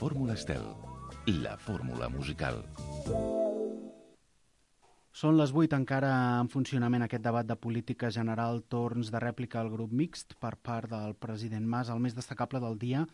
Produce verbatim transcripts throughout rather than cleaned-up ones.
Fórmula Estel, la fórmula musical. Són les vuit, encara en funcionament aquest debat de política general, torns de rèplica al grup mixt per part del president Mas. El més destacable del dia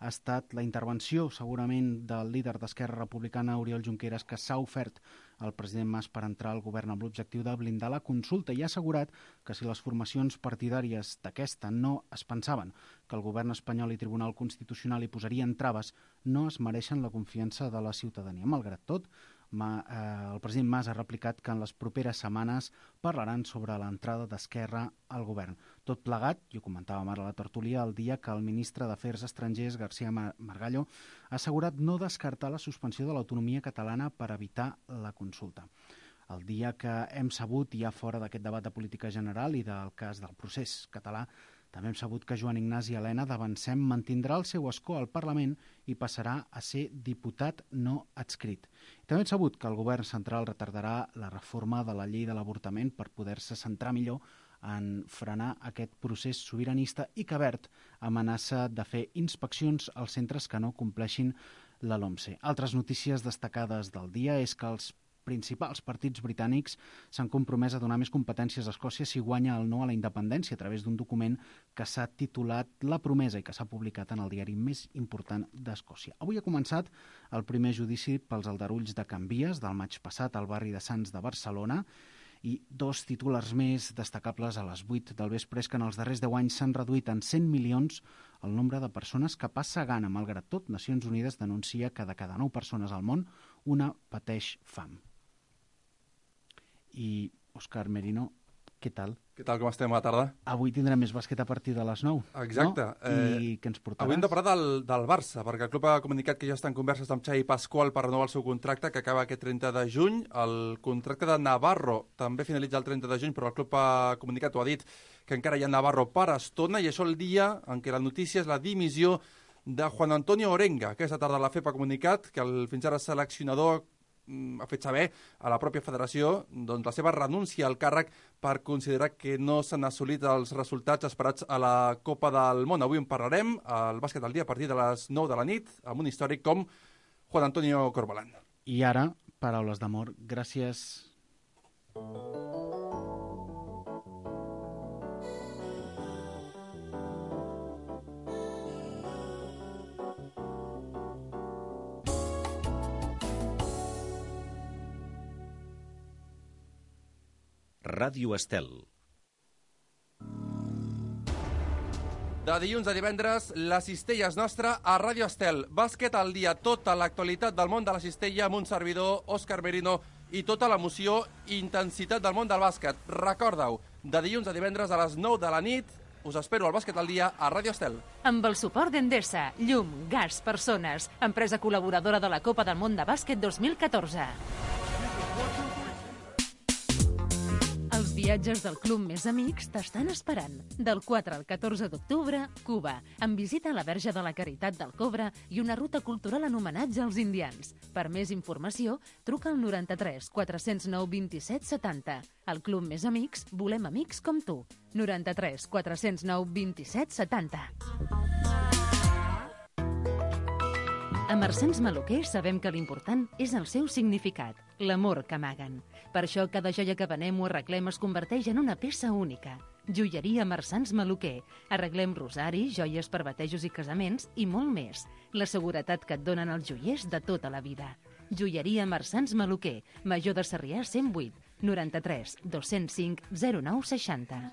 ha estat la intervenció, segurament, del líder d'Esquerra Republicana, Oriol Junqueras, que s'ha ofert al president Mas per entrar al govern amb l'objectiu de blindar la consulta i ha assegurat que si les formacions partidàries d'aquesta no es pensaven que el govern espanyol i Tribunal Constitucional hi posarien traves, no es mereixen la confiança de la ciutadania. Malgrat tot, Ma, eh, el president Mas ha replicat que en les properes setmanes parlaran sobre l'entrada d'Esquerra al govern. Tot plegat, i ho comentàvem ara a la tertúlia, el dia que el ministre d'Afers Estrangers, García Margallo, ha assegurat no descartar la suspensió de l'autonomia catalana per evitar la consulta. El dia que hem sabut, ja fora d'aquest debat de política general i del cas del procés català, també hem sabut que Joan Ignasi Elena d'Avancem mantindrà el seu escó al Parlament i passarà a ser diputat no adscrit. També hem sabut que el govern central retardarà la reforma de la llei de l'avortament per poder-se centrar millor en frenar aquest procés sobiranista i que Wert amenaça de fer inspeccions als centres que no compleixin la LOMCE. Altres notícies destacades del dia és que els principals partits britànics s'han compromès a donar més competències a Escòcia si guanya el no a la independència a través d'un document que s'ha titulat La Promesa i que s'ha publicat en el diari més important d'Escòcia. Avui ha començat el primer judici pels aldarulls de Can Vies del maig passat al barri de Sants de Barcelona i dos titulars més destacables a les vuit del vespre és que en els darrers deu anys s'han reduït en cent milions el nombre de persones que passa gana. Malgrat tot, Nacions Unides denuncia que de cada nou persones al món, una pateix fam. I, Òscar Merino, què tal? Què tal, com estem a la tarda? Avui tindrem més bàsquet a partir de les nou, Exacte. No? I eh, què ens portaràs? Avui hem de parlar del, del Barça, perquè el club ha comunicat que ja està en converses amb Xavi Pasqual per renovar el seu contracte, que acaba aquest trenta de juny. El contracte de Navarro també finalitza el trenta de juny, però el club ha comunicat o ha dit que encara hi ha Navarro per estona, i això el dia en què la notícia és la dimissió de Juan Antonio Orenga. Aquesta tarda la F E P ha comunicat que el fins ara seleccionador ha fet saber a la pròpia federació doncs, la seva renúncia al càrrec per considerar que no s'han assolit els resultats esperats a la Copa del Món. Avui en parlarem al Bàsquet al dia a partir de les nou de la nit amb un històric com Juan Antonio Corbalán. I ara, paraules d'amor. Gràcies. Ràdio Estel. De dilluns a divendres, la cistella és nostra a Ràdio Estel. Bàsquet al dia, tota l'actualitat del món de la cistella amb un servidor, Òscar Merino, i tota l'emoció i intensitat del món del bàsquet. Recorda-ho, de dilluns a divendres a les nou de la nit, us espero al Bàsquet al dia a Ràdio Estel. Amb el suport d'Endesa, llum, gas, persones, empresa col·laboradora de la Copa del Món de Bàsquet dos mil catorze. Els viatges del Club Més Amics t'estan esperant. Del quatre al catorze d'octubre, Cuba, amb visita a la Verge de la Caritat del Cobre i una ruta cultural en homenatge als indians. Per més informació, truca al noranta-tres quatre zero nou vint-i-set setanta. Al Club Més Amics volem amics com tu. noranta-tres quatre zero nou vint-i-set setanta. A Marsans Maluquer sabem que l'important és el seu significat, l'amor que amaguen. Per això cada joia que venem o arreglem es converteix en una peça única. Joieria Marsans Maluquer. Arreglem rosaris, joies per batejos i casaments i molt més. La seguretat que et donen els joiers de tota la vida. Joieria Marsans Maluquer, Major de Sarrià cent vuit, noranta-tres dos cents cinc zero nou seixanta.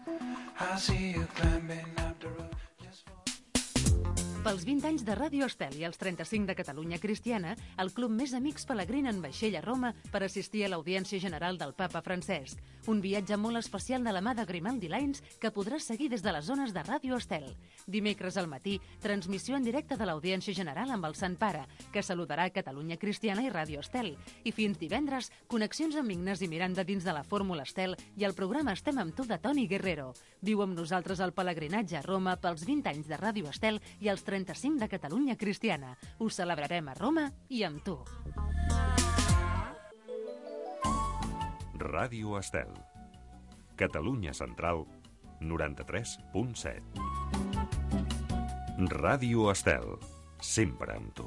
Pels vint anys de Ràdio Estel i els trenta-cinc de Catalunya Cristiana, el Club Més Amics pelegrina en vaixell a Roma per assistir a l'audiència general del papa Francesc. Un viatge molt especial de la mà de Grimaldi Lines que podràs seguir des de les zones de Ràdio Estel. Dimecres al matí, transmissió en directe de l'audiència general amb el Sant Pare, que saludarà Catalunya Cristiana i Ràdio Estel. I fins divendres, connexions amb Ignasi Miranda dins de la Fórmula Estel i el programa Estem amb tu de Toni Guerrero. Viu amb nosaltres el pelegrinatge a Roma pels vint anys de Ràdio Estel i els trenta-cinc de Catalunya Cristiana. Ho celebrarem a Roma i amb tu. Ràdio Estel. Catalunya Central, noranta-tres punt set. Ràdio Estel. Sempre amb tu.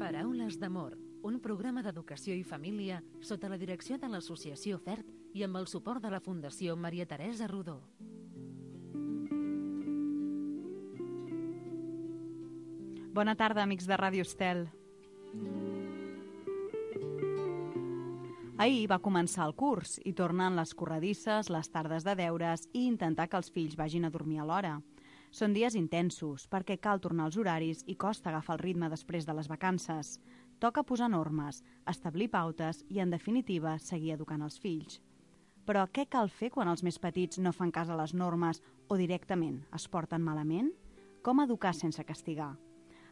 Paraules d'amor, un programa d'educació i família sota la direcció de l'Associació F E R T i amb el suport de la Fundació Maria Teresa Rodó. Bona tarda, amics de Ràdio Estel. Ahir va començar el curs i tornen les corredisses, les tardes de deures i intentar que els fills vagin a dormir a l'hora. Són dies intensos perquè cal tornar als horaris i costa agafar el ritme després de les vacances. Toca posar normes, establir pautes i, en definitiva, seguir educant els fills. Però què cal fer quan els més petits no fan cas a les normes o directament es porten malament? Com educar sense castigar?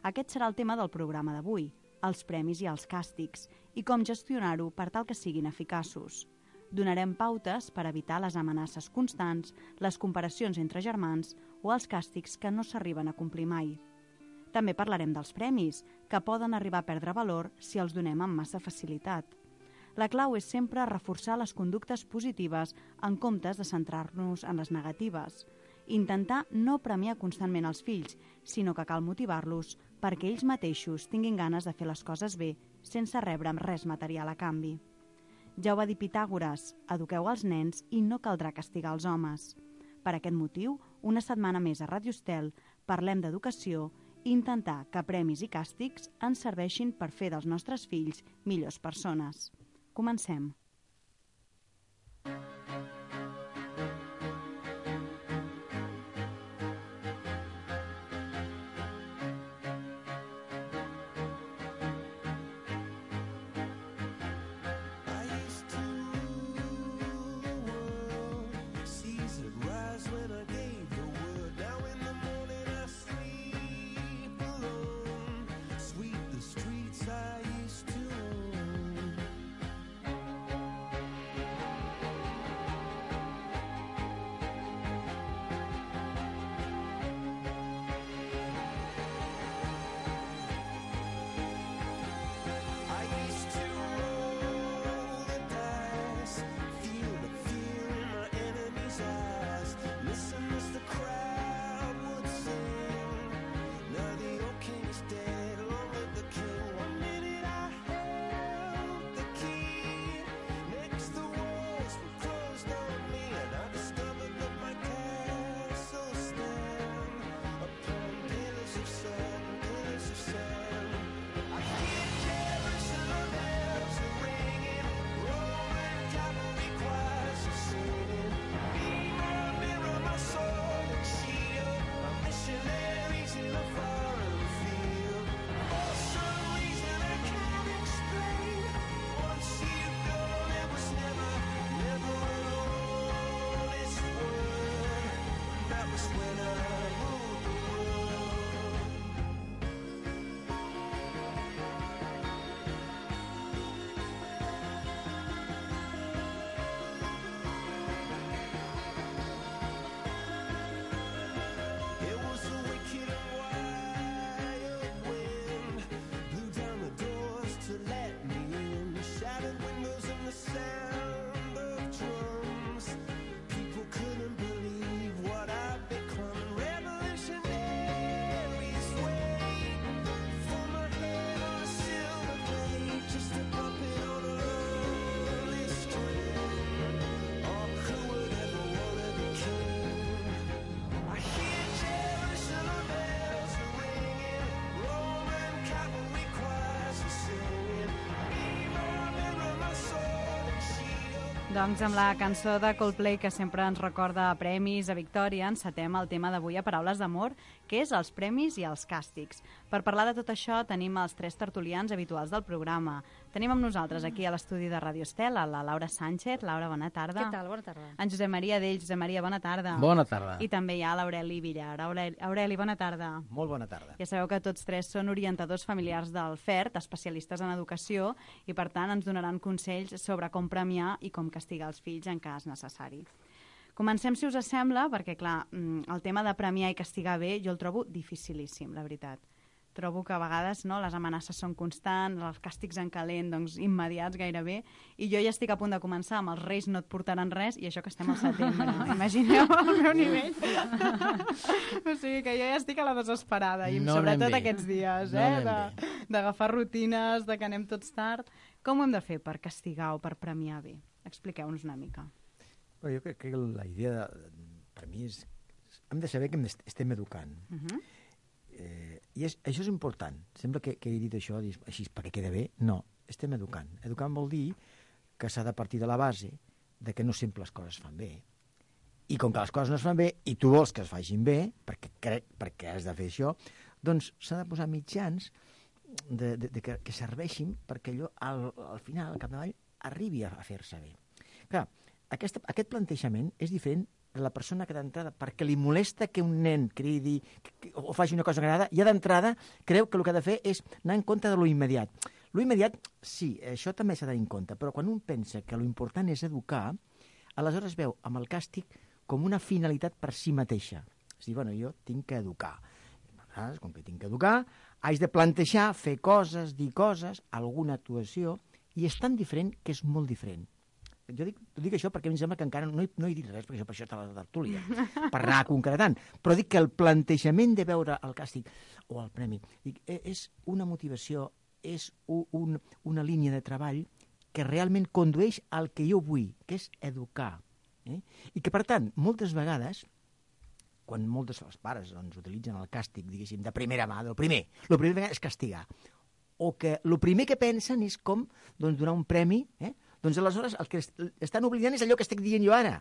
Aquest serà el tema del programa d'avui, els premis i els càstigs, i com gestionar-ho per tal que siguin eficaços. Donarem pautes per evitar les amenaces constants, les comparacions entre germans o els càstigs que no s'arriben a complir mai. També parlarem dels premis, que poden arribar a perdre valor si els donem amb massa facilitat. La clau és sempre reforçar les conductes positives en comptes de centrar-nos en les negatives. Intentar no premiar constantment els fills, sinó que cal motivar-los perquè ells mateixos tinguin ganes de fer les coses bé sense rebre res material a canvi. Ja ho va dir Pitàgores, eduqueu els nens i no caldrà castigar els homes. Per aquest motiu, una setmana més a Ràdio Estel parlem d'educació i intentar que premis i càstigs ens serveixin per fer dels nostres fills millors persones. Comencem. Doncs amb la cançó de Coldplay que sempre ens recorda a premis, a victòria, encetem el tema d'avui a Paraules d'amor, que és els premis i els càstigs. Per parlar de tot això tenim els tres tertulians habituals del programa. Tenim amb nosaltres aquí a l'estudi de Ràdio Estel a la Laura Sánchez. Laura, bona tarda. Què tal? Bona tarda. En Josep Maria Dells. Josep Maria, bona tarda. Bona tarda. I també hi ha l'Aureli Villar. Aureli, Aureli, bona tarda. Molt bona tarda. Ja sabeu que tots tres són orientadors familiars del F E R T, especialistes en educació, i per tant ens donaran consells sobre com premiar i com castigar els fills en cas necessari. Comencem, si us sembla, perquè, clar, el tema de premiar i castigar bé jo el trobo dificilíssim, la veritat. Trobo que a vegades no, les amenaces són constants, els càstigs en calent, doncs, immediats gairebé, i jo ja estic a punt de començar amb els Reis no et portaran res, i això que estem al setembre. Imagineu el meu nivell. O sigui que jo ja estic a la desesperada, i no sobretot aquests dies, no eh, de, d'agafar rutines, de que anem tots tard. Com ho hem de fer per castigar o per premiar bé? Expliqueu-nos una mica. Però jo crec que la idea, de, per mi, és... Hem de saber que estem educant. Uh -huh. eh, I és, això és important. Sembla que, que he dit això així perquè queda bé. No, estem educant. Educant vol dir que s'ha de partir de la base de que no sempre les coses es fan bé. I com que les coses no es fan bé i tu vols que es facin bé, perquè crec perquè has de fer això, doncs s'ha de posar mitjans de, de, de que, que serveixin perquè allò al, al final, al capdavall, arribi a, a fer-se bé. Clar, aquesta, aquest plantejament és diferent de la persona que d'entrada, perquè li molesta que un nen cridi que, que, o faci una cosa que agrada, ja d'entrada creu que el que ha de fer és anar en compte de lo immediat. Lo immediat, sí, això també s'ha de tenir en compte, però quan un pensa que lo important és educar, aleshores veu amb el càstig com una finalitat per si mateixa. És a dir, bueno, jo tinc que educar. Aleshores, com que tinc que educar, haig de plantejar, fer coses, dir coses, alguna actuació, i és tan diferent que és molt diferent. Jo dic, dic això perquè a mi em sembla que encara no he, no he dit res, perquè això, per això està la tertúlia, per anar concretant. Però dic que el plantejament de veure el càstig o el premi dic, és una motivació, és un, un, una línia de treball que realment condueix al que jo vull, que és educar. Eh? I que, per tant, moltes vegades, quan molts dels pares doncs, utilitzen el càstig, diguéssim, de primera mà, del primer, el primer és castigar, o que el primer que pensen és com doncs, donar un premi, eh? Doncs aleshores el que estan oblidant és allò que estic dient jo ara.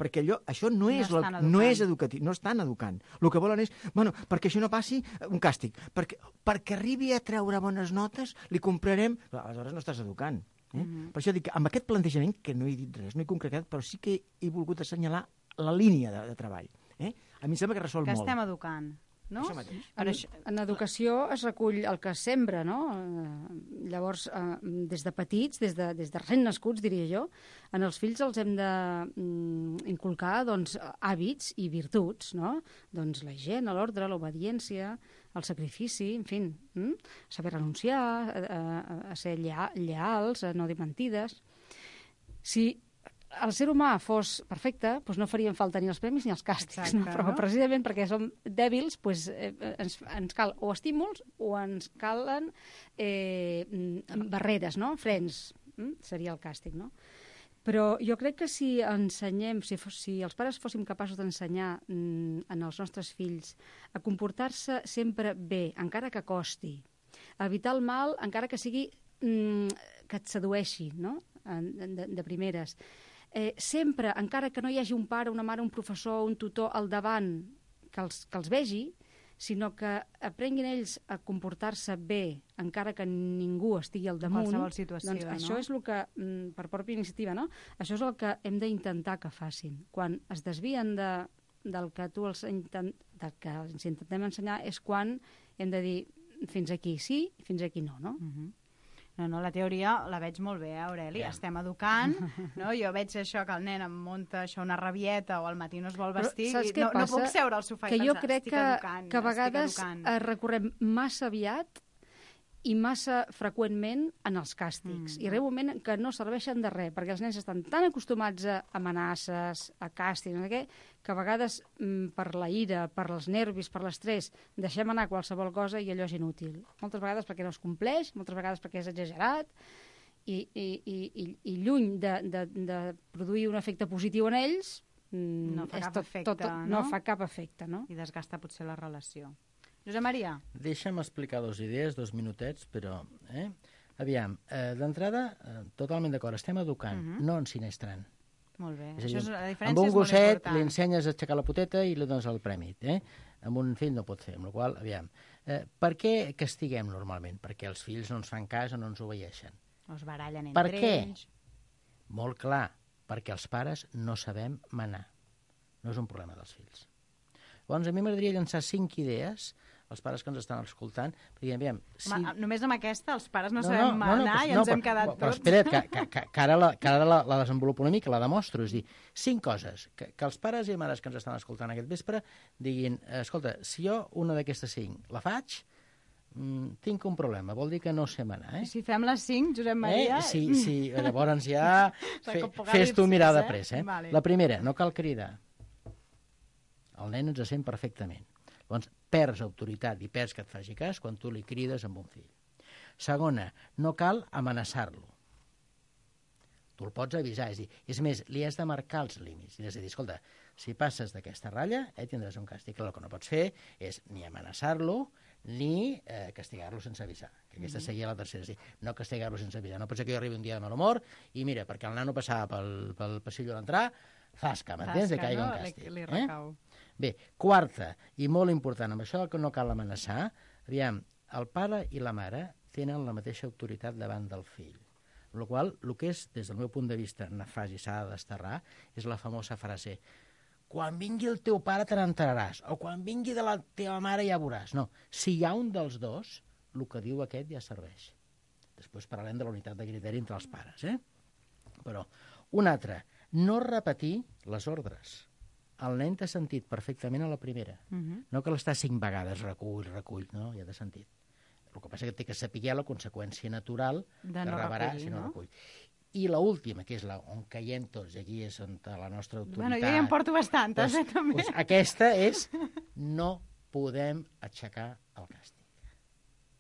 Perquè allò, això no és, no, la, no és educatiu, no estan educant. El que volen és, bueno, perquè això no passi, un càstig. Perquè, perquè arribi a treure bones notes, li comprarem... Aleshores no estàs educant. Eh? Mm-hmm. Per això dic que amb aquest plantejament, que no he dit res, no he concretat, però sí que he volgut assenyalar la línia de, de treball. Eh? A mi em sembla que resol que molt. Que estem educant. No? En, en educació es recull el que es sembra, no? Eh, llavors, eh, des de petits, des de, des de recent nascuts, diria jo, en els fills els hem de mm, inculcar doncs, hàbits i virtuts, no? Doncs la higiene, l'ordre, l'obediència, el sacrifici, en fi, mm? saber renunciar, a, a, a ser lleal, lleals, a no dir mentides. Si el ser humà fos perfecte, doncs no farien falta ni els premis ni els càstigs. Exacte, no? Però no? Precisament perquè som dèbils, doncs, eh, ens, ens cal o estímuls o ens calen eh, barreres, no? Frens, mm? seria el càstig, no? Però jo crec que si ensenyem, si, fos, si els pares fóssim capaços d'ensenyar mm, en els nostres fills a comportar-se sempre bé, encara que costi, a evitar el mal, encara que sigui mm, que et sedueixi, no? de, de primeres, Eh, sempre, encara que no hi hagi un pare, una mare, un professor, un tutor al davant que els, que els vegi, sinó que aprenguin ells a comportar-se bé, encara que ningú estigui al damunt. Qualsevol situació, doncs això no? és el que, per pròpia iniciativa, no? Això és el que hem d'intentar que facin. Quan es desvien de, del que tu els, intent, del que els intentem ensenyar és quan hem de dir fins aquí sí, fins aquí no, no? Uh-huh. No, no, la teoria la veig molt bé, eh, Aureli? Yeah. Estem educant, no? Jo veig això que el nen em munta això una rabieta o al matí no es vol vestir i no, no puc seure al sofà i que pensar, jo crec estic que, educant, que a vegades recorrem massa aviat i massa freqüentment en els càstigs. Mm. I arriba un moment que no serveixen de res, perquè els nens estan tan acostumats a amenaces, a càstigs, no sé què, que a vegades mm, per la ira, per els nervis, per l'estrès, deixem anar qualsevol cosa i allò és inútil. Moltes vegades perquè no es compleix, moltes vegades perquè és exagerat, i, i, i, i, i lluny de, de, de produir un efecte positiu en ells, mm, no fa cap tot, efecte, tot, tot, no? no fa cap efecte, no? I desgasta potser la relació. Josep Maria. Deixa'm explicar dues idees, dos minutets, però... Eh? Aviam, eh, d'entrada, eh, totalment d'acord, estem educant, uh-huh. no ensinistran. Molt bé, és això dir, és, la diferència amb un és molt gosset important. li ensenyes a aixecar la poteta i li dones el premi. Eh? Amb un fill no pot fer, amb la qual cosa, aviam, eh, per què castiguem normalment? Perquè els fills no ens fan cas o no ens obeeixen. O es barallen entre per què? ells. Molt clar, perquè els pares no sabem manar. No és un problema dels fills. Llavors, a mi m'agradaria llançar cinc idees als pares que ens estan escoltant, perquè, aviam... Si... Home, només amb aquesta els pares no, no sabem no, manar no, no, i ens no, hem quedat però, tots. Però espera't, que, que, que, que ara, la, que ara la, la desenvolupo una mica, la demostro. És dir, cinc coses, que, que els pares i mares que ens estan escoltant aquest vespre diguin, escolta, si jo una d'aquestes cinc la faig, mm, tinc un problema, vol dir que no sé manar. Eh? Si fem les cinc, Josep Maria... Eh? Sí, sí, llavors ja fe, fes tu mirar de pressa. Eh? Vale. La primera, no cal cridar. El nen ens sent perfectament. Llavors, perds autoritat i perds que et faci cas quan tu li crides amb un fill. Segona, no cal amenaçar-lo. Tu el pots avisar, és dir, és més, li has de marcar els límits. És a dir, escolta, si passes d'aquesta ratlla, eh, tindràs un càstig. El que no pots fer és ni amenaçar-lo ni eh, castigar-lo sense avisar. Que aquesta mm-hmm. seria la tercera. És dir, no castigar-lo sense avisar. No pot ser que jo arribi un dia de mal humor i mira, perquè el nano passava pel, pel passillo a l'entrar, zasca, m'entens? Que caigui un càstig. Li, li recau. Eh? Bé, quarta, i molt important, amb això que no cal amenaçar, aviam, el pare i la mare tenen la mateixa autoritat davant del fill. Amb la qual cosa, el que és, des del meu punt de vista, nefast i s'ha de desterrar, és la famosa frase quan vingui el teu pare te n'enteraràs, o quan vingui de la teva mare ja veuràs. No, si hi ha un dels dos, el que diu aquest ja serveix. Després parlarem de la unitat de criteri entre els pares, eh? Però, un altre, no repetir les ordres. El nen t'ha sentit perfectament a la primera. Uh-huh. No que l'està cinc vegades, recull, recull, no, ja t'ha sentit. El que passa és que té que saber la conseqüència natural de que no rebrà recollir, si no, no recull. I l'última, que és la on caiem tots, i aquí és on la nostra autoritat... Bueno, jo ja en porto bastantes, doncs, eh, també. Doncs aquesta és no podem aixecar el càstig.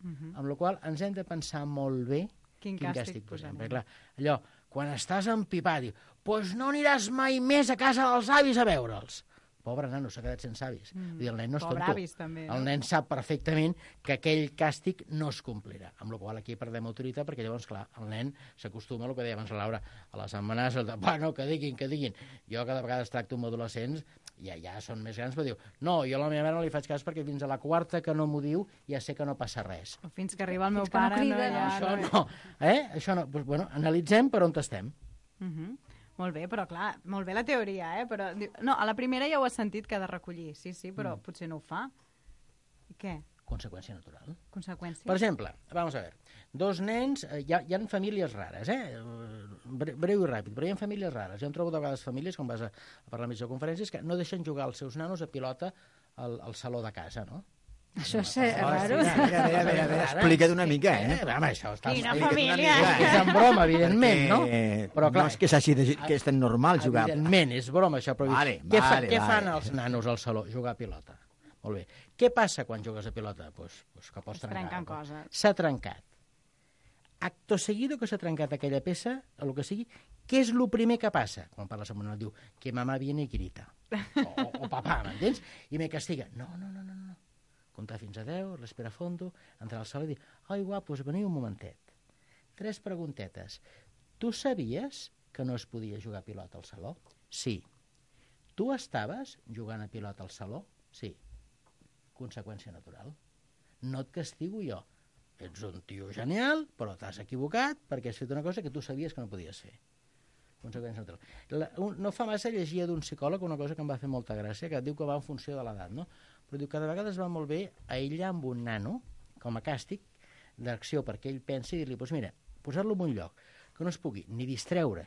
Uh-huh. Amb la qual cosa ens hem de pensar molt bé quin, quin càstig, càstig posem. posem. Perquè, clar, allò, quan estàs empipat, diu, doncs no aniràs mai més a casa dels avis a veure'ls. Pobre nano, s'ha quedat sense avis. Mm. Vull dir, el nen no és Pobre tonto. avis, també, no? El nen sap perfectament que aquell càstig no es complirà. Amb la qual cosa aquí perdem autoritat, perquè llavors, clar, el nen s'acostuma a el que deia abans la Laura, a les amenaces, de, bueno, que diguin, que diguin. Jo cada vegada tracto amb adolescents, ja, ja són més grans, però diu, no, jo a la meva mare no li faig cas perquè fins a la quarta que no m'ho diu ja sé que no passa res. O fins que arriba el meu Fins que no pare, no, crida, ja... Això no, eh? Això no. Pues, bueno, analitzem per on estem. Uh -huh. Molt bé, però clar, molt bé la teoria, eh? Però, no, a la primera ja ho has sentit que ha de recollir, sí, sí, però mm. potser no ho fa. I què? Conseqüència natural. Conseqüència? Per exemple, vamos a ver, dos nens, eh, hi, ha, hi ha famílies rares, eh? Bre breu i ràpid, però hi ha famílies rares. Jo em trobo de vegades famílies, com vas a, a parlar més de conferències, que no deixen jugar els seus nanos a pilota al, al saló de casa, no? Això és raro. Mira, mira, mira, mira, mira, explica't una mica, eh? eh home, això està... Quina explica't família! una mica, És en broma, evidentment, no? Però clar, no és que s'hagi de... que és tan normal jugar. Evidentment, és broma, això, però... Vale, què, fa, vale, què vale. fan els nanos al saló? Jugar a pilota. Molt bé. Què passa quan jugues a pilota? Pues, pues que pots Es trencar. trenquen coses. S'ha trencat. Acto seguido que s'ha trencat aquella peça, o el que sigui, què és el primer que passa? Quan parles amb un nen, diu que mamà viene i grita. O, o, o papà, m'entens? I me castiga. No, no, no, no, no. Comptar fins a deu, respira fondo, entrar al sala i dir, ai, guapos, veniu un momentet. Tres preguntetes. Tu sabies que no es podia jugar a pilota al saló? Sí. Tu estaves jugant a pilota al saló? Sí. Conseqüència natural. No et castigo jo. Ets un tio genial, però t'has equivocat perquè has fet una cosa que tu sabies que no podies fer. Conseqüència natural. La, un, no fa massa llegia d'un psicòleg una cosa que em va fer molta gràcia, que diu que va en funció de l'edat, no? Però diu que de vegades va molt bé aïllar amb un nano, com a càstig, d'acció perquè ell pensi i dir-li, doncs mira, posar-lo en un lloc que no es pugui ni distreure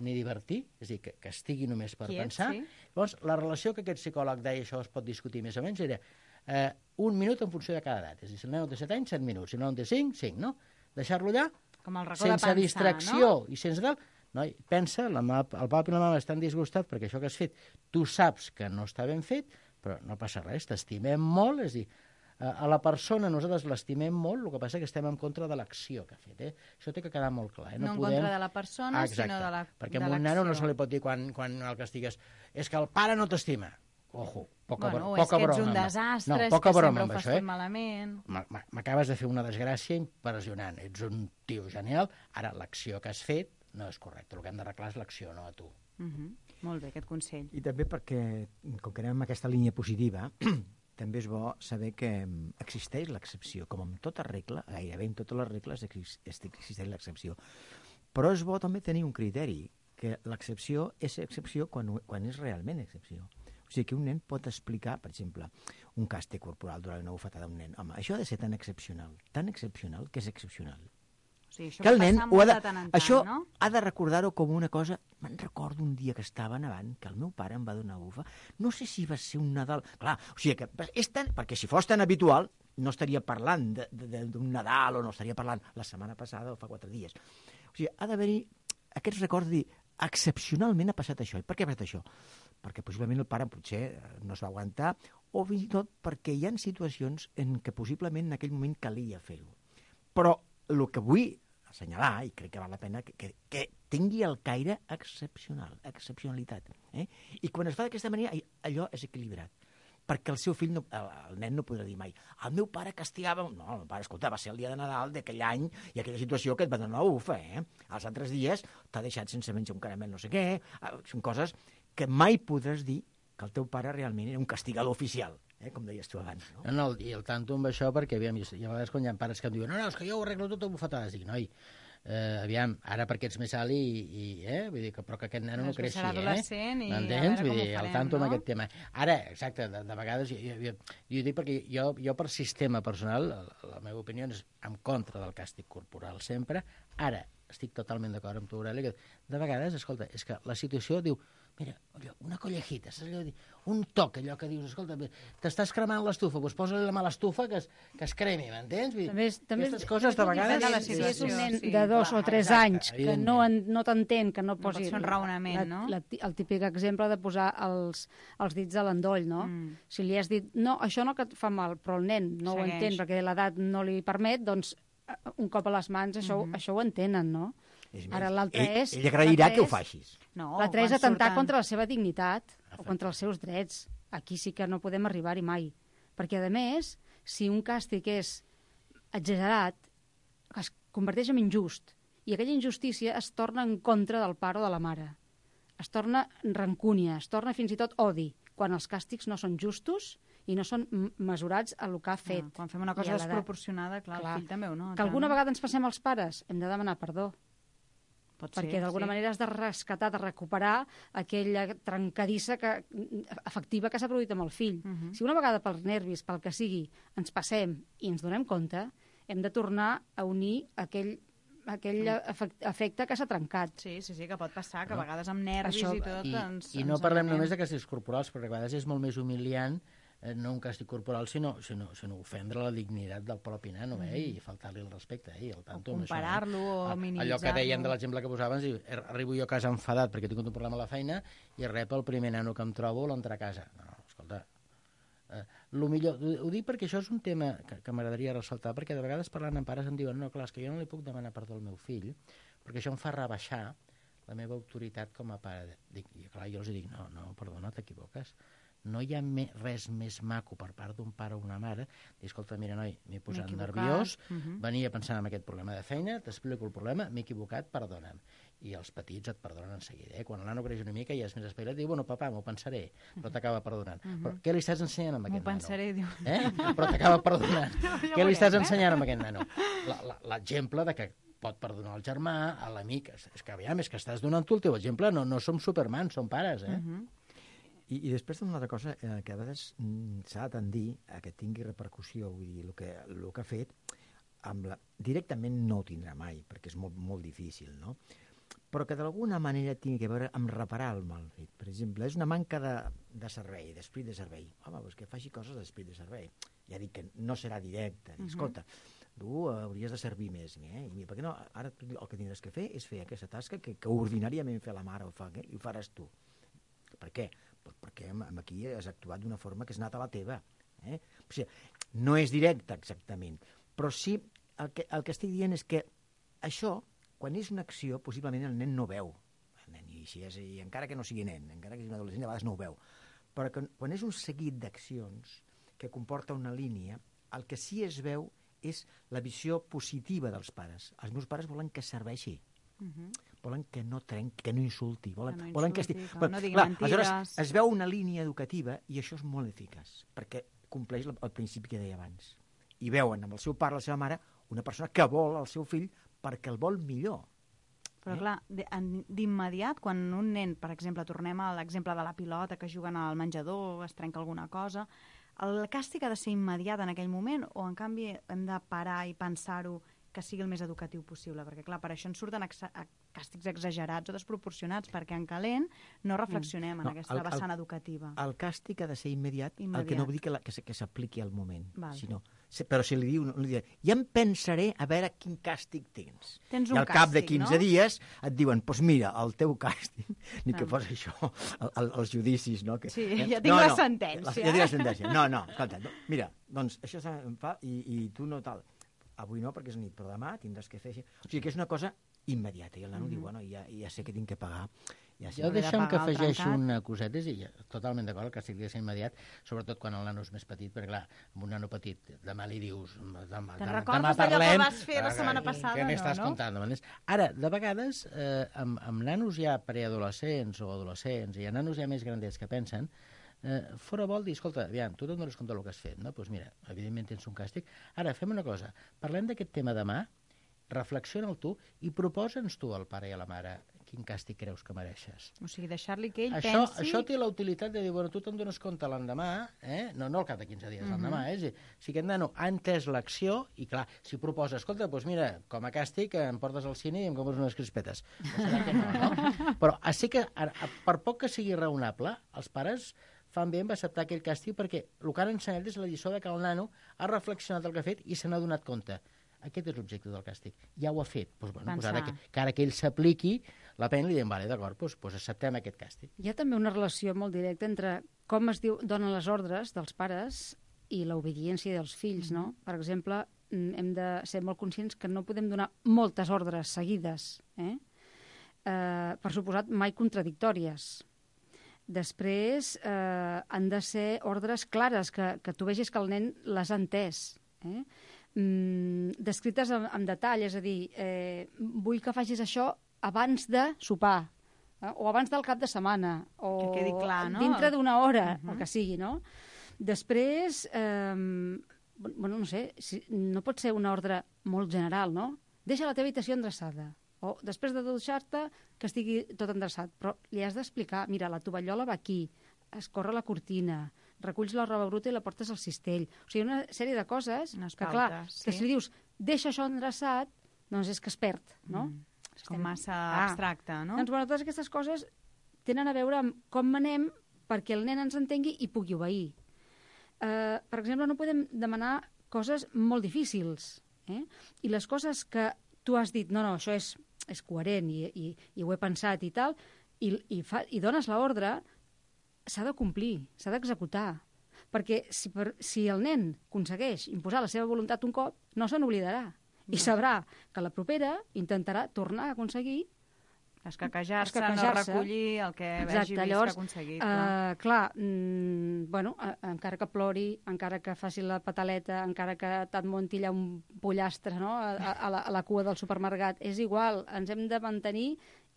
ni divertir, és a dir, que, que estigui només per Quiet, pensar. sí. Llavors, la relació que aquest psicòleg deia, això es pot discutir més o menys, era eh, un minut en funció de cada edat. És a dir, si el nen té set anys, set minuts. Si el nen té cinc, cinc, no? Deixar-lo allà, Com el racó sense de pensar, distracció no? i sense tal. No, pensa, la mà, el papa i la mama estan disgustats perquè això que has fet, tu saps que no està ben fet, però no passa res, t'estimem molt, és a dir, a la persona nosaltres l'estimem molt, el que passa és que estem en contra de l'acció que ha fet. Eh? Això té que quedar molt clar. Eh? No, no en podem... contra de la persona, ah, sinó de la perquè de a un nano no l'acció. se li pot dir quan, quan el castigues és que el pare no t'estima. Ojo, poca, Bueno, o poca és que ets broma. un amb- desastre, no, és poca que broma sempre ho amb fas això, tot eh? malament. M- m- M'acabes de fer una desgràcia impressionant. Ets un tio genial. Ara, l'acció que has fet no és correcta. El que hem d'arreglar és l'acció, no a tu. Uh -huh. Molt bé, aquest consell. I també perquè, com que anem en aquesta línia positiva, també és bo saber que existeix l'excepció. Com en tota regla, gairebé en totes les regles existeix l'excepció. Però és bo també tenir un criteri, que l'excepció és excepció quan, quan és realment excepció. O sigui que un nen pot explicar, per exemple, un càstig corporal durant una bufetada d'un nen. Home, això ha de ser tan excepcional, tan excepcional que és excepcional. O sigui, això Que el pot nen passar ho ha molt de, de tant en tant, això no? ha de recordar-ho com una cosa... Me'n recordo un dia que estava nevant, que el meu pare em va donar bufa. No sé si va ser un Nadal... Clar, o sigui que és tan... Perquè si fos tan habitual, no estaria parlant d'un Nadal o no estaria parlant la setmana passada o fa quatre dies. O sigui, ha d'haver-hi aquests records de dir excepcionalment ha passat això. I per què ha passat això? Perquè possiblement el pare potser no es va aguantar o fins i tot perquè hi ha situacions en què possiblement en aquell moment calia fer-ho. Però el que vull assenyalar, i crec que val la pena, que, que, que tingui el caire excepcional, excepcionalitat. Eh? I quan es fa d'aquesta manera, allò és equilibrat. Perquè el seu fill, no, el, el nen no podrà dir mai el meu pare castigava... No, el meu pare, escolta, va ser el dia de Nadal d'aquell any i aquella situació que et va donar la ufa, eh? Els altres dies t'ha deixat sense menjar un caramel no sé què. Són coses que mai podràs dir que el teu pare realment era un castigador oficial, eh? Com deies tu abans. No? No, no, i el tanto amb això, perquè aviam, i a vegades quan hi ha pares que em diuen no, no, és que jo ho arreglo tot a bufetades, dic, noi, eh, aviam, ara perquè ets més alt i, i eh, vull dir que, però que aquest nen no creixi, eh? M'entens? Vull dir, al tanto no? amb aquest tema. Ara, exacte, de, de vegades, jo, jo, jo, jo dic perquè jo, jo per sistema personal, la, la meva opinió és en contra del càstig corporal sempre. Ara, estic totalment d'acord amb tu, Aureli, que de vegades, escolta, és que la situació diu, mira, una collejita, saps allò de dir? Un toc, allò que dius, escolta, t'estàs cremant l'estufa, doncs posa-li la mà a l'estufa que, es, que es cremi, m'entens? També, també aquestes coses de vegades... De si és un nen sí, de dos clar, o tres exacte, anys que no, en, no t'entén, que no posi... No pot fer un raonament, la, no? La, el típic exemple de posar els, els dits a l'endoll, no? Mm. Si li has dit, no, això no que et fa mal, però el nen no Segueix. ho entén perquè l'edat no li permet, doncs un cop a les mans això, mm-hmm. això ho entenen, no? És Ara l'altre és... Ell agrairà que ho facis. No, l'altre és atentar surten... contra la seva dignitat o contra els seus drets. Aquí sí que no podem arribar-hi mai. Perquè, a més, si un càstig és exagerat, es converteix en injust. I aquella injustícia es torna en contra del pare o de la mare. Es torna rancúnia, es torna fins i tot odi, quan els càstigs no són justos i no són mesurats a el que ha fet. No, quan fem una cosa desproporcionada, clar, clar, el fill també ho nota. Que alguna no? vegada ens passem als pares, hem de demanar perdó. Pot perquè ser, d'alguna sí. manera has de rescatar, de recuperar aquella trencadissa que, afectiva que s'ha produït amb el fill. Uh -huh. Si una vegada pels nervis, pel que sigui, ens passem i ens donem compte, hem de tornar a unir aquell, aquell efecte que s'ha trencat. Sí, sí, sí, que pot passar, que a vegades amb nervis Això, i tot... I, ens, i no ens parlem anem. només de càstigs corporals, perquè a vegades és molt més humiliant eh, no un càstig corporal, sinó, sinó, sinó ofendre la dignitat del propi nano, eh, mm. i faltar-li el respecte, eh, i el tanto, o comparar-lo, eh? o minimitzar-lo. Allò que deien de l'exemple que posaven, és dir, arribo jo a casa enfadat perquè he tingut un problema a la feina i rep el primer nano que em trobo l'entrar a casa. No, escolta, eh, lo millor, ho, ho dic perquè això és un tema que, que m'agradaria ressaltar, perquè de vegades parlant amb pares em diuen no, clar, és que jo no li puc demanar perdó al meu fill, perquè això em fa rebaixar la meva autoritat com a pare. Dic, i clar, jo els dic, no, no, perdona, t'equivoques. No hi ha me, res més maco per part d'un pare o una mare dir, escolta, mira, noi, m'he posat nerviós, uh -huh. venia pensant en aquest problema de feina, t'explico el problema, m'he equivocat, perdona'm. I els petits et perdonen en seguida. Eh? Quan el nano creix una mica i és més espavilat, diu, bueno, papà, m'ho pensaré, però t'acaba perdonant. Uh -huh. Però què li estàs ensenyant amb aquest nano? M'ho pensaré, diu. Eh? Però t'acaba perdonant. no, què li estàs ensenyant amb aquest nano? L'exemple de que pot perdonar el germà, a l'amic, és que aviam, és que estàs donant tu el teu exemple, no, no som supermans, som pares, eh? Uh -huh. I, I després una altra cosa eh, que a vegades mm, s'ha de tendir a que tingui repercussió, vull dir, el que, el que ha fet, amb la, directament no ho tindrà mai, perquè és molt, molt difícil, no? Però que d'alguna manera tingui a veure amb reparar el mal fet. Per exemple, és una manca de, de servei, d'esprit de servei. Home, doncs que faci coses d'esprit de servei. Ja dic que no serà directe. Uh -huh. Escolta, tu hauries de servir més, eh? I mira, perquè no, ara el que tindràs que fer és fer aquesta tasca que, que ordinàriament fer la mare ho fa, eh? I ho faràs tu. Per què? Pues perquè aquí has actuat d'una forma que és nata la teva. Eh? O sigui, no és directe exactament, però sí el que, el que estic dient és que això, quan és una acció, possiblement el nen no veu. El nen, i, si és, i encara que no sigui nen, encara que sigui un adolescent, a vegades no ho veu. Però que, quan és un seguit d'accions que comporta una línia, el que sí es veu és la visió positiva dels pares. Els meus pares volen que serveixi. Uh -huh. Volen que no trenqui, que no insulti, volen que, no volen insulti, que, esti... que bueno, no digui clar, mentides. Aleshores, es veu una línia educativa i això és molt eficaç, perquè compleix el, el principi que deia abans. I veuen amb el seu pare, la seva mare, una persona que vol el seu fill perquè el vol millor. Però, eh? clar, d'immediat, quan un nen, per exemple, tornem a l'exemple de la pilota, que juguen al menjador, es trenca alguna cosa, el càstig ha de ser immediat en aquell moment o, en canvi, hem de parar i pensar-ho que sigui el més educatiu possible, perquè clar, per això ens surten exa càstigs exagerats o desproporcionats, perquè en calent no reflexionem mm. en no, aquesta el, vessant el, educativa. El càstig ha de ser immediat, immediat. El que no vull dir que, la, que, que s'apliqui al moment, Val. sinó, però si li diu, li dirà, ja em pensaré a veure quin càstig tens. Tens un I al cap càstig, de quinze no? dies et diuen, doncs pues mira, el teu càstig, ni que fos això, el, el, els judicis, no? Que, sí, eh? ja tinc no, la no, sentència. La, ja tinc la sentència. No, no, escolta, no, mira, doncs això em fa i, i tu no tal. Avui no, perquè és nit, però demà tindràs que fer així. O sigui que és una cosa immediata. I el nano mm. diu, bueno, ja, ja sé que tinc que pagar. Ja sé jo deixa'm que afegeixo una coseta, i ja, totalment d'acord, que estic de ser immediat, sobretot quan el nano és més petit, perquè clar, amb un nano petit, demà li dius, demà, Te'n demà, recordes demà parlem... d'allò que vas fer la setmana passada? Què m'estàs no, contant? No? Ara, de vegades, eh, amb, amb nanos ja preadolescents o adolescents, i nanos ja més grandets que pensen, Eh, fora vol dir, escolta, aviam, tu te'n dones compte del que has fet, no? Doncs pues mira, evidentment tens un càstig. Ara, fem una cosa, parlem d'aquest tema demà, reflexiona-el tu i proposa'ns tu al pare i a la mare quin càstig creus que mereixes. O sigui, deixar-li que ell això, pensi... Això té la utilitat de dir, bueno, tu te'n dones compte l'endemà, eh? no, no al cap de quinze dies, uh-huh. l'endemà, eh? Si aquest nano ha entès l'acció, i clar, si proposa, escolta, doncs mira, com a càstig em portes al cine i em compres unes crispetes. Serà que no, no? Però així que, per poc que sigui raonable, els pares fan bé en acceptar aquell càstig perquè el que han ensenyat és la lliçó de que el nano ha reflexionat el que ha fet i se n'ha donat compte. Aquest és l'objecte del càstig. Ja ho ha fet. Pues, bueno, pues ara que, que ara que ell s'apliqui la pena, li diem, vale, d'acord, pues, pues acceptem aquest càstig. Hi ha també una relació molt directa entre com es diu, donen les ordres dels pares i l'obediència dels fills, no? Per exemple, hem de ser molt conscients que no podem donar moltes ordres seguides, eh? Eh, per suposat, mai contradictòries. Després, eh, han de ser ordres clares, que, que tu vegis que el nen les ha entès. Eh? Mm, descrites amb, amb detall, és a dir, eh, vull que facis això abans de sopar, eh? O abans del cap de setmana, o que quedi clar, no? dintre d'una hora, uh-huh. el que sigui, no? Després, eh, bueno, no sé, si, no pot ser una ordre molt general, no? Deixa la teva habitació endreçada. O després de dutxar-te, que estigui tot endreçat. Però li has d'explicar, mira, la tovallola va aquí, escorre la cortina, reculls la roba bruta i la portes al cistell. O sigui, una sèrie de coses Unes que, pautes, clar, sí. que si li dius, deixa això endreçat, doncs és que es perd, no? Mm. És com massa ah. abstracte, no? Doncs, bueno, totes aquestes coses tenen a veure amb com manem perquè el nen ens entengui i pugui obeir. Uh, per exemple, no podem demanar coses molt difícils, eh? I les coses que tu has dit, no, no, això és és coherent i, i, i ho he pensat i tal, i, i, fa, i dones l'ordre, s'ha de complir, s'ha d'executar. Perquè si, per, si el nen aconsegueix imposar la seva voluntat un cop, no se n'oblidarà. No. I sabrà que la propera intentarà tornar a aconseguir escaquejar-se, no recollir el que Exacte, vegi vist llavors, que ha aconseguit. Uh, clar, clar mm, bueno, uh, encara que plori, encara que faci la pataleta, encara que te'n munti allà un pollastre, no?, a, a, la, a la cua del supermercat, és igual, ens hem de mantenir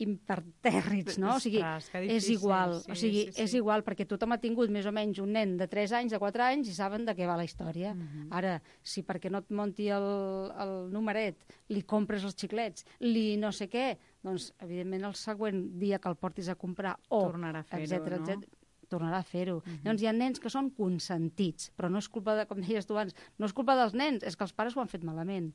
impertèrrits, no? O sigui, Ostres, és igual, sí, o sigui, sí, sí. és igual, perquè tothom ha tingut més o menys un nen de tres anys, de quatre anys, i saben de què va la història. Mhm. Ara, si perquè no et munti el, el numeret, li compres els xiclets, li no sé què, doncs, evidentment, el següent dia que el portis a comprar, o, Tornarà a fer-ho, etcètera, no? etcètera, tornarà a fer-ho. Mhm. Llavors, hi ha nens que són consentits, però no és culpa de, com deies tu abans, no és culpa dels nens, és que els pares ho han fet malament.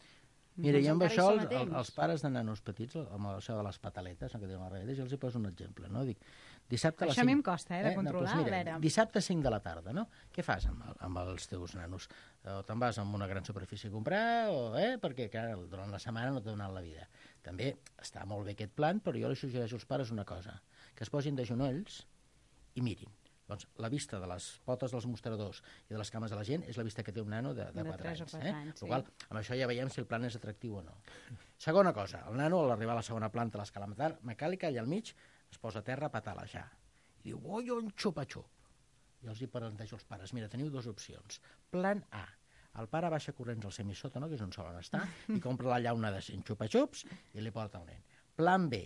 Mira, i amb Encara hi això, som els, a temps. els pares de nanos petits, amb això de les pataletes, no, que diuen les reguetes, jo els hi poso un exemple, no? Dic, dissabte a les Això a mi cinc... em costa, eh, de controlar, No, doncs mira, a veure. dissabte a cinc de la tarda, no? Què fas amb, el, amb els teus nanos? O te'n vas a una gran superfície a comprar, o, eh? Perquè, clar, durant la setmana no t'ha donat la vida. També està molt bé aquest plan, però jo li suggereixo als pares una cosa, que es posin de genolls i mirin. Doncs la vista de les potes dels mostradors i de les cames de la gent és la vista que té un nano de, de, De quatre tres o anys. quatre Eh? anys, sí. Igual, amb això ja veiem si el plan és atractiu o no. Segona cosa, el nano, a l'arribar a la segona planta de l'escala mecànica, allà al mig, es posa a terra a patalejar. I diu, oi, un xupa-xup. I els hi plantejo als pares, mira, teniu dues opcions. Plan A, el pare baixa corrents al semissòtano, que és on solen estar, i compra la llauna de cent xupa-xups i li porta un nen. Plan B,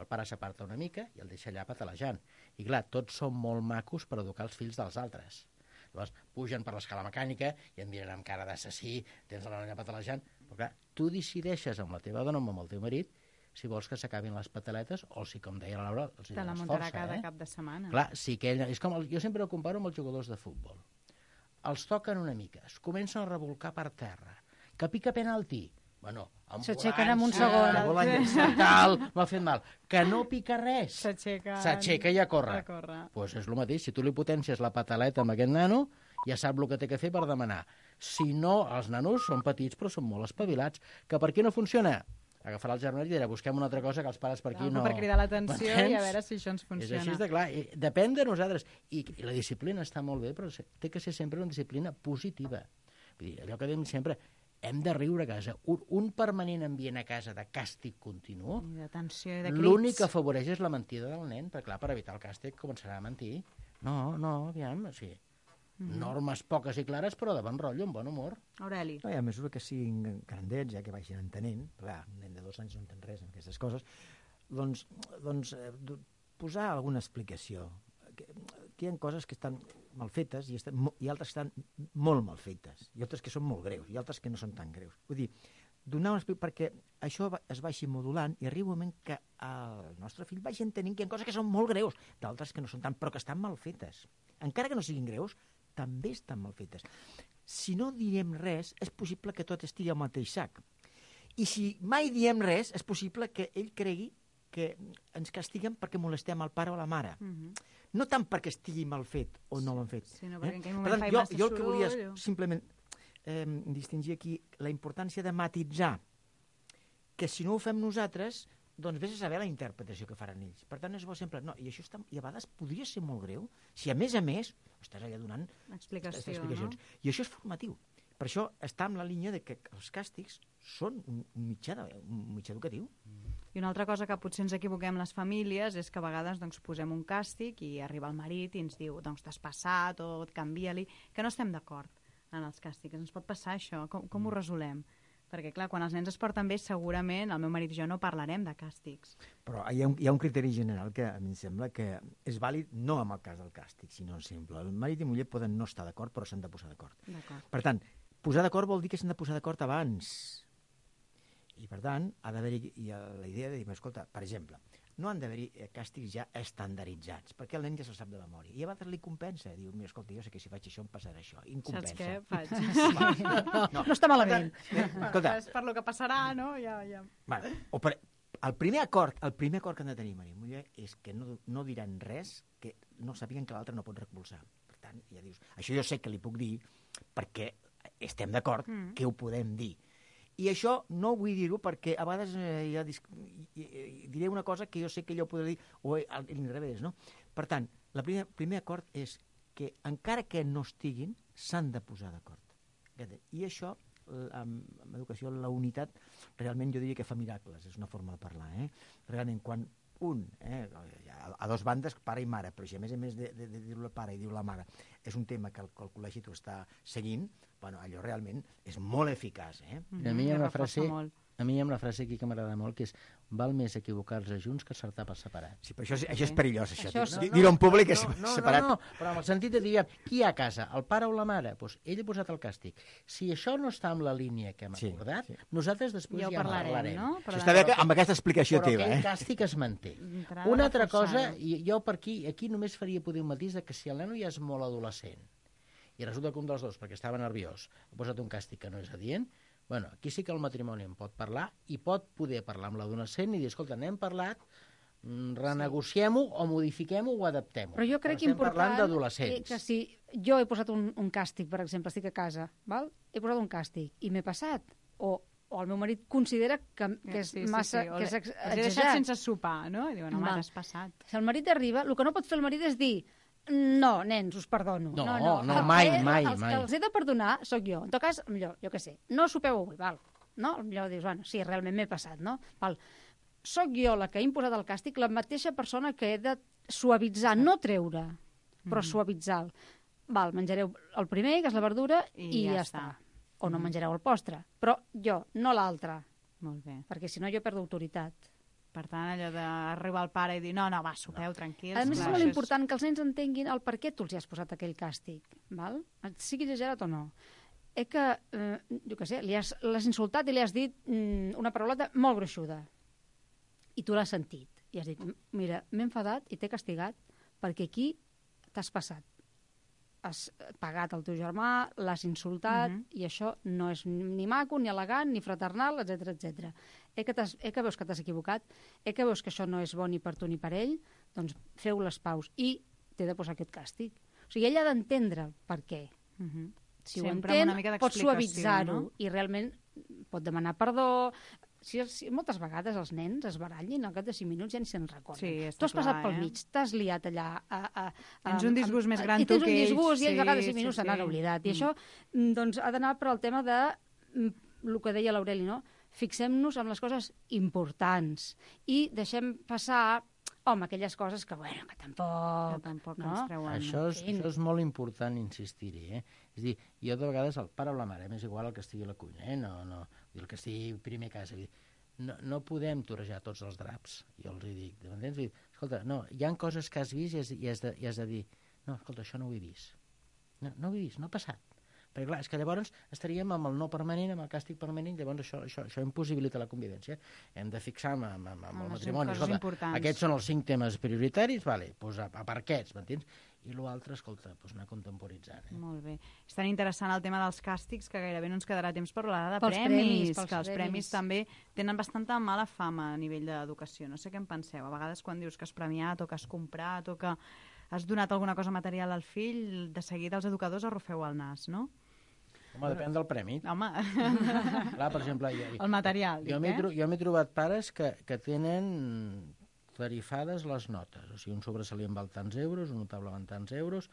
el pare s'aparta una mica i el deixa allà patalejant. I clar, tots són molt macos per educar els fills dels altres. Llavors, pugen per l'escala mecànica i et miren amb cara d'assassí, tens la nena patalejant, però clar, tu decideixes amb la teva dona o amb el teu marit si vols que s'acabin les pataletes o si, com deia la Laura, els hi Te la dones muntarà força. cada eh? cap de setmana. Clar, sí que ell, és com el, jo sempre ho comparo amb els jugadors de futbol. Els toquen una mica, es comencen a revolcar per terra, que pica penalti, Bueno, s'aixequen en un ambulància, segon. ambulància, tal, m'ha fet mal. Que no pica res. S'aixequen... S'aixeca i a córrer. A córrer. Pues és el mateix. Si tu li potencies la pataleta amb aquest nano, ja sap el que té que fer per demanar. Si no, els nanos són petits però són molt espavilats. Que per què no funciona? Agafarà el germanet i dirà, busquem una altra cosa que els pares per aquí Algo no... per cridar l'atenció i a veure si això ens funciona. És així de clar. I depèn de nosaltres. I, I la disciplina està molt bé, però té que ser sempre una disciplina positiva. Vull dir, allò que diem sempre, hem de riure a casa. Un, un permanent ambient a casa de càstig continu, I de tensió i de crits. l'únic que afavoreix és la mentida del nen, perquè clar, per evitar el càstig començarà a mentir. No, no, aviam, o sigui, mm-hmm. normes poques i clares, però de bon rotllo, amb bon humor. Aureli. No, I a mesura que siguin grandets, ja que vagin entenent, clar, un nen de dos anys no entén res en aquestes coses, doncs, doncs eh, posar alguna explicació. Que, que hi ha coses que estan mal fetes i, estan, i altres que estan molt mal fetes, i altres que són molt greus, i altres que no són tan greus. Vull dir, donar un explic perquè això es vagi modulant i arriba un moment que el nostre fill vagi entenent que hi ha coses que són molt greus, d'altres que no són tant, però que estan mal fetes. Encara que no siguin greus, també estan mal fetes. Si no diem res, és possible que tot estigui al mateix sac. I si mai diem res, és possible que ell cregui que ens castiguen perquè molestem el pare o la mare. Mm-hmm. No tant perquè estigui mal fet o no l'han fet. Sí, no, perquè eh? en aquell moment Per tant, fa jo, massa jo el que volia és soroll. simplement eh, distingir aquí la importància de matitzar que si no ho fem nosaltres, doncs vés a saber la interpretació que faran ells. Per tant, és bo sempre... No, i això està, i a vegades podria ser molt greu si a més a més estàs allà donant Explicació, explicacions. no? I això és formatiu. Per això està en la línia de que els càstigs són un mitjà, de, un mitjà educatiu. I una altra cosa que potser ens equivoquem les famílies és que a vegades doncs, posem un càstig i arriba el marit i ens diu doncs t'has passat o et canvia-li, que no estem d'acord en els càstigs. Ens pot passar això? Com, com ho resolem? Perquè, clar, quan els nens es porten bé, segurament el meu marit i jo no parlarem de càstigs. Però hi ha, un, hi ha un criteri general que a mi em sembla que és vàlid no en el cas del càstig, sinó simple. El marit i muller poden no estar d'acord, però s'han de posar d'acord. Per tant, posar d'acord vol dir que s'han de posar d'acord abans. I, per tant, ha d'haver-hi la idea de dir, escolta, per exemple, no han d'haver-hi càstigs ja estandarditzats, perquè el nen ja se'l sap de memòria. I a vegades li compensa, diu, mira, escolta, jo sé que si faig això em passarà això. I em compensa. Saps què? Faig. No, no. No està malament. Escolta, És per lo que passarà, no? Ja, ja. bueno, o per, el primer acord, el primer acord que han de tenir marit i muller és que no, no diran res que no sàpiguen que l'altre no pot recolzar. Per tant, ja dius, això jo sé que li puc dir perquè estem d'acord mm. que ho podem dir. I això no vull dir-ho perquè a vegades eh, ja dis... diré una cosa que jo sé que ella ho podrà dir, o a l'inrevés, no? Per tant, el primer, primer acord és que encara que no estiguin, s'han de posar d'acord. I això, amb, amb educació, la unitat, realment jo diria que fa miracles, és una forma de parlar, eh? Realment, quan un, eh, a dos bandes, pare i mare, però si a més a més de, de, de dir-ho el pare i dir-ho la mare és un tema que el, que el col·legi t'ho està seguint, bueno, allò realment és molt eficaç. Eh? Mm-hmm. A mi hi ha una frase... A mi hi ha una frase aquí que m'agrada molt, que és val més equivocar-se junts que acertar per separat. Sí, però això, és, això és perillós, això. això no, dir-ho en públic és no, no, separat. No, no, però en el sentit de dir, qui hi ha a casa, el pare o la mare? Doncs ell ha posat el càstig. Si això no està amb la línia que hem acordat, sí, sí. nosaltres després ja, ja parlarem. parlarem. No? Això està bé amb aquesta explicació però teva. Però eh? aquell càstig es manté. Una altra cosa, i jo per aquí, aquí només faria poder un matís de que si el nano ja és molt adolescent i resulta que un dels dos, perquè estava nerviós, ha posat un càstig que no és adient, bueno, aquí sí que el matrimoni en pot parlar i pot poder parlar amb l'adolescent i dir, escolta, n'hem parlat, renegociem-ho o modifiquem-ho o adaptem-ho. Però jo crec Però que important d'adolescents. que si jo he posat un, un càstig, per exemple, estic a casa, val? He posat un càstig i m'he passat, o, o el meu marit considera que, que és sí, sí, massa... sí. Que és ex he deixat sense sopar, no? I diuen, home, t'has passat. Si el marit arriba, el que no pot fer el marit és dir no, nens, us perdono. No, no, no, no mai, el, mai, els mai. que els he de perdonar sóc jo. En tot cas, millor, jo què sé, no sopeu avui, val? No? Millor dius, bueno, sí, realment m'he passat, no? Val. Soc jo la que he imposat el càstig, la mateixa persona que he de suavitzar, no treure, però mm. suavitzar. Val, menjareu el primer, que és la verdura, i, i ja, ja està. està. O no mm. menjareu el postre. Però jo, no l'altre. Molt bé. Perquè si no jo perdo autoritat. Per tant, allò d'arribar al pare i dir no, no, va, sopeu, no. tranquils. A més, és molt important que els nens entenguin el per què tu els has posat aquell càstig, val? Sigui exagerat o no. És que, eh, jo què sé, l'has insultat i li has dit mm, una parauleta molt gruixuda. I tu l'has sentit. I has dit, mira, m'he enfadat i t'he castigat perquè aquí t'has passat. has pagat el teu germà, l'has insultat, uh -huh. i això no és ni maco, ni elegant, ni fraternal, etcètera etcètera. Eh que, eh que veus que t'has equivocat, eh que veus que això no és bo ni per tu ni per ell, doncs feu les paus i t'he de posar aquest càstig. O sigui, ell ha d'entendre per què. Uh -huh. Si Sempre ho entén, una mica pot d'explicació, suavitzar-ho, no? i realment pot demanar perdó. Si, si moltes vegades els nens es barallin, al cap de cinc minuts ja ni se'n recorden. Sí, està tu has clar, passat pel eh? mig, t'has liat allà... A, a, a, Tens un disgust a, més gran i tu tens que un ells. disgust i ells Sí, a cada cinc sí, minuts se sí. n'han oblidat. I Mm. això doncs, ha d'anar per al tema de, el que deia l'Aureli, no? Fixem-nos en les coses importants i deixem passar, home, aquelles coses que, bueno, que tampoc... Que tampoc no? ens treuen. Això és, això és molt important insistir-hi, eh? És a dir, jo de vegades el pare o la mare, m'és igual el que estigui a la cuina, eh? No, no, el que estigui primer a casa, no, no podem torejar tots els draps, jo els hi dic, m'entens? Dir, escolta, no, hi ha coses que has vist i has, i has, de, i has de dir, no, escolta, això no ho he vist, no, no ho he vist, no ha passat. Perquè, clar, és que llavors estaríem amb el no permanent, amb el càstig permanent, llavors això, això, això impossibilita la convivència. Hem de fixar amb, amb, amb, amb el matrimoni. Escolta, importants. Aquests són els cinc temes prioritaris, vale, doncs a, a per aquests, m'entens? I l'altre, escolta, doncs anar contemporitzant. Eh? Molt bé. És tan interessant el tema dels càstigs que gairebé no ens quedarà temps per parlar de pels premis, premis pels que els premis. premis també tenen bastanta mala fama a nivell d'educació. No sé què en penseu. A vegades quan dius que has premiat o que has comprat o que has donat alguna cosa material al fill, de seguida els educadors arrufeu el nas, no? Home, depèn del premi. Home. Clar, per exemple... Jo, el material, jo, dic, eh? Jo m'he trobat pares que, que tenen tarifades les notes. O sigui, un sobresalient val tants euros, un notable val tants euros,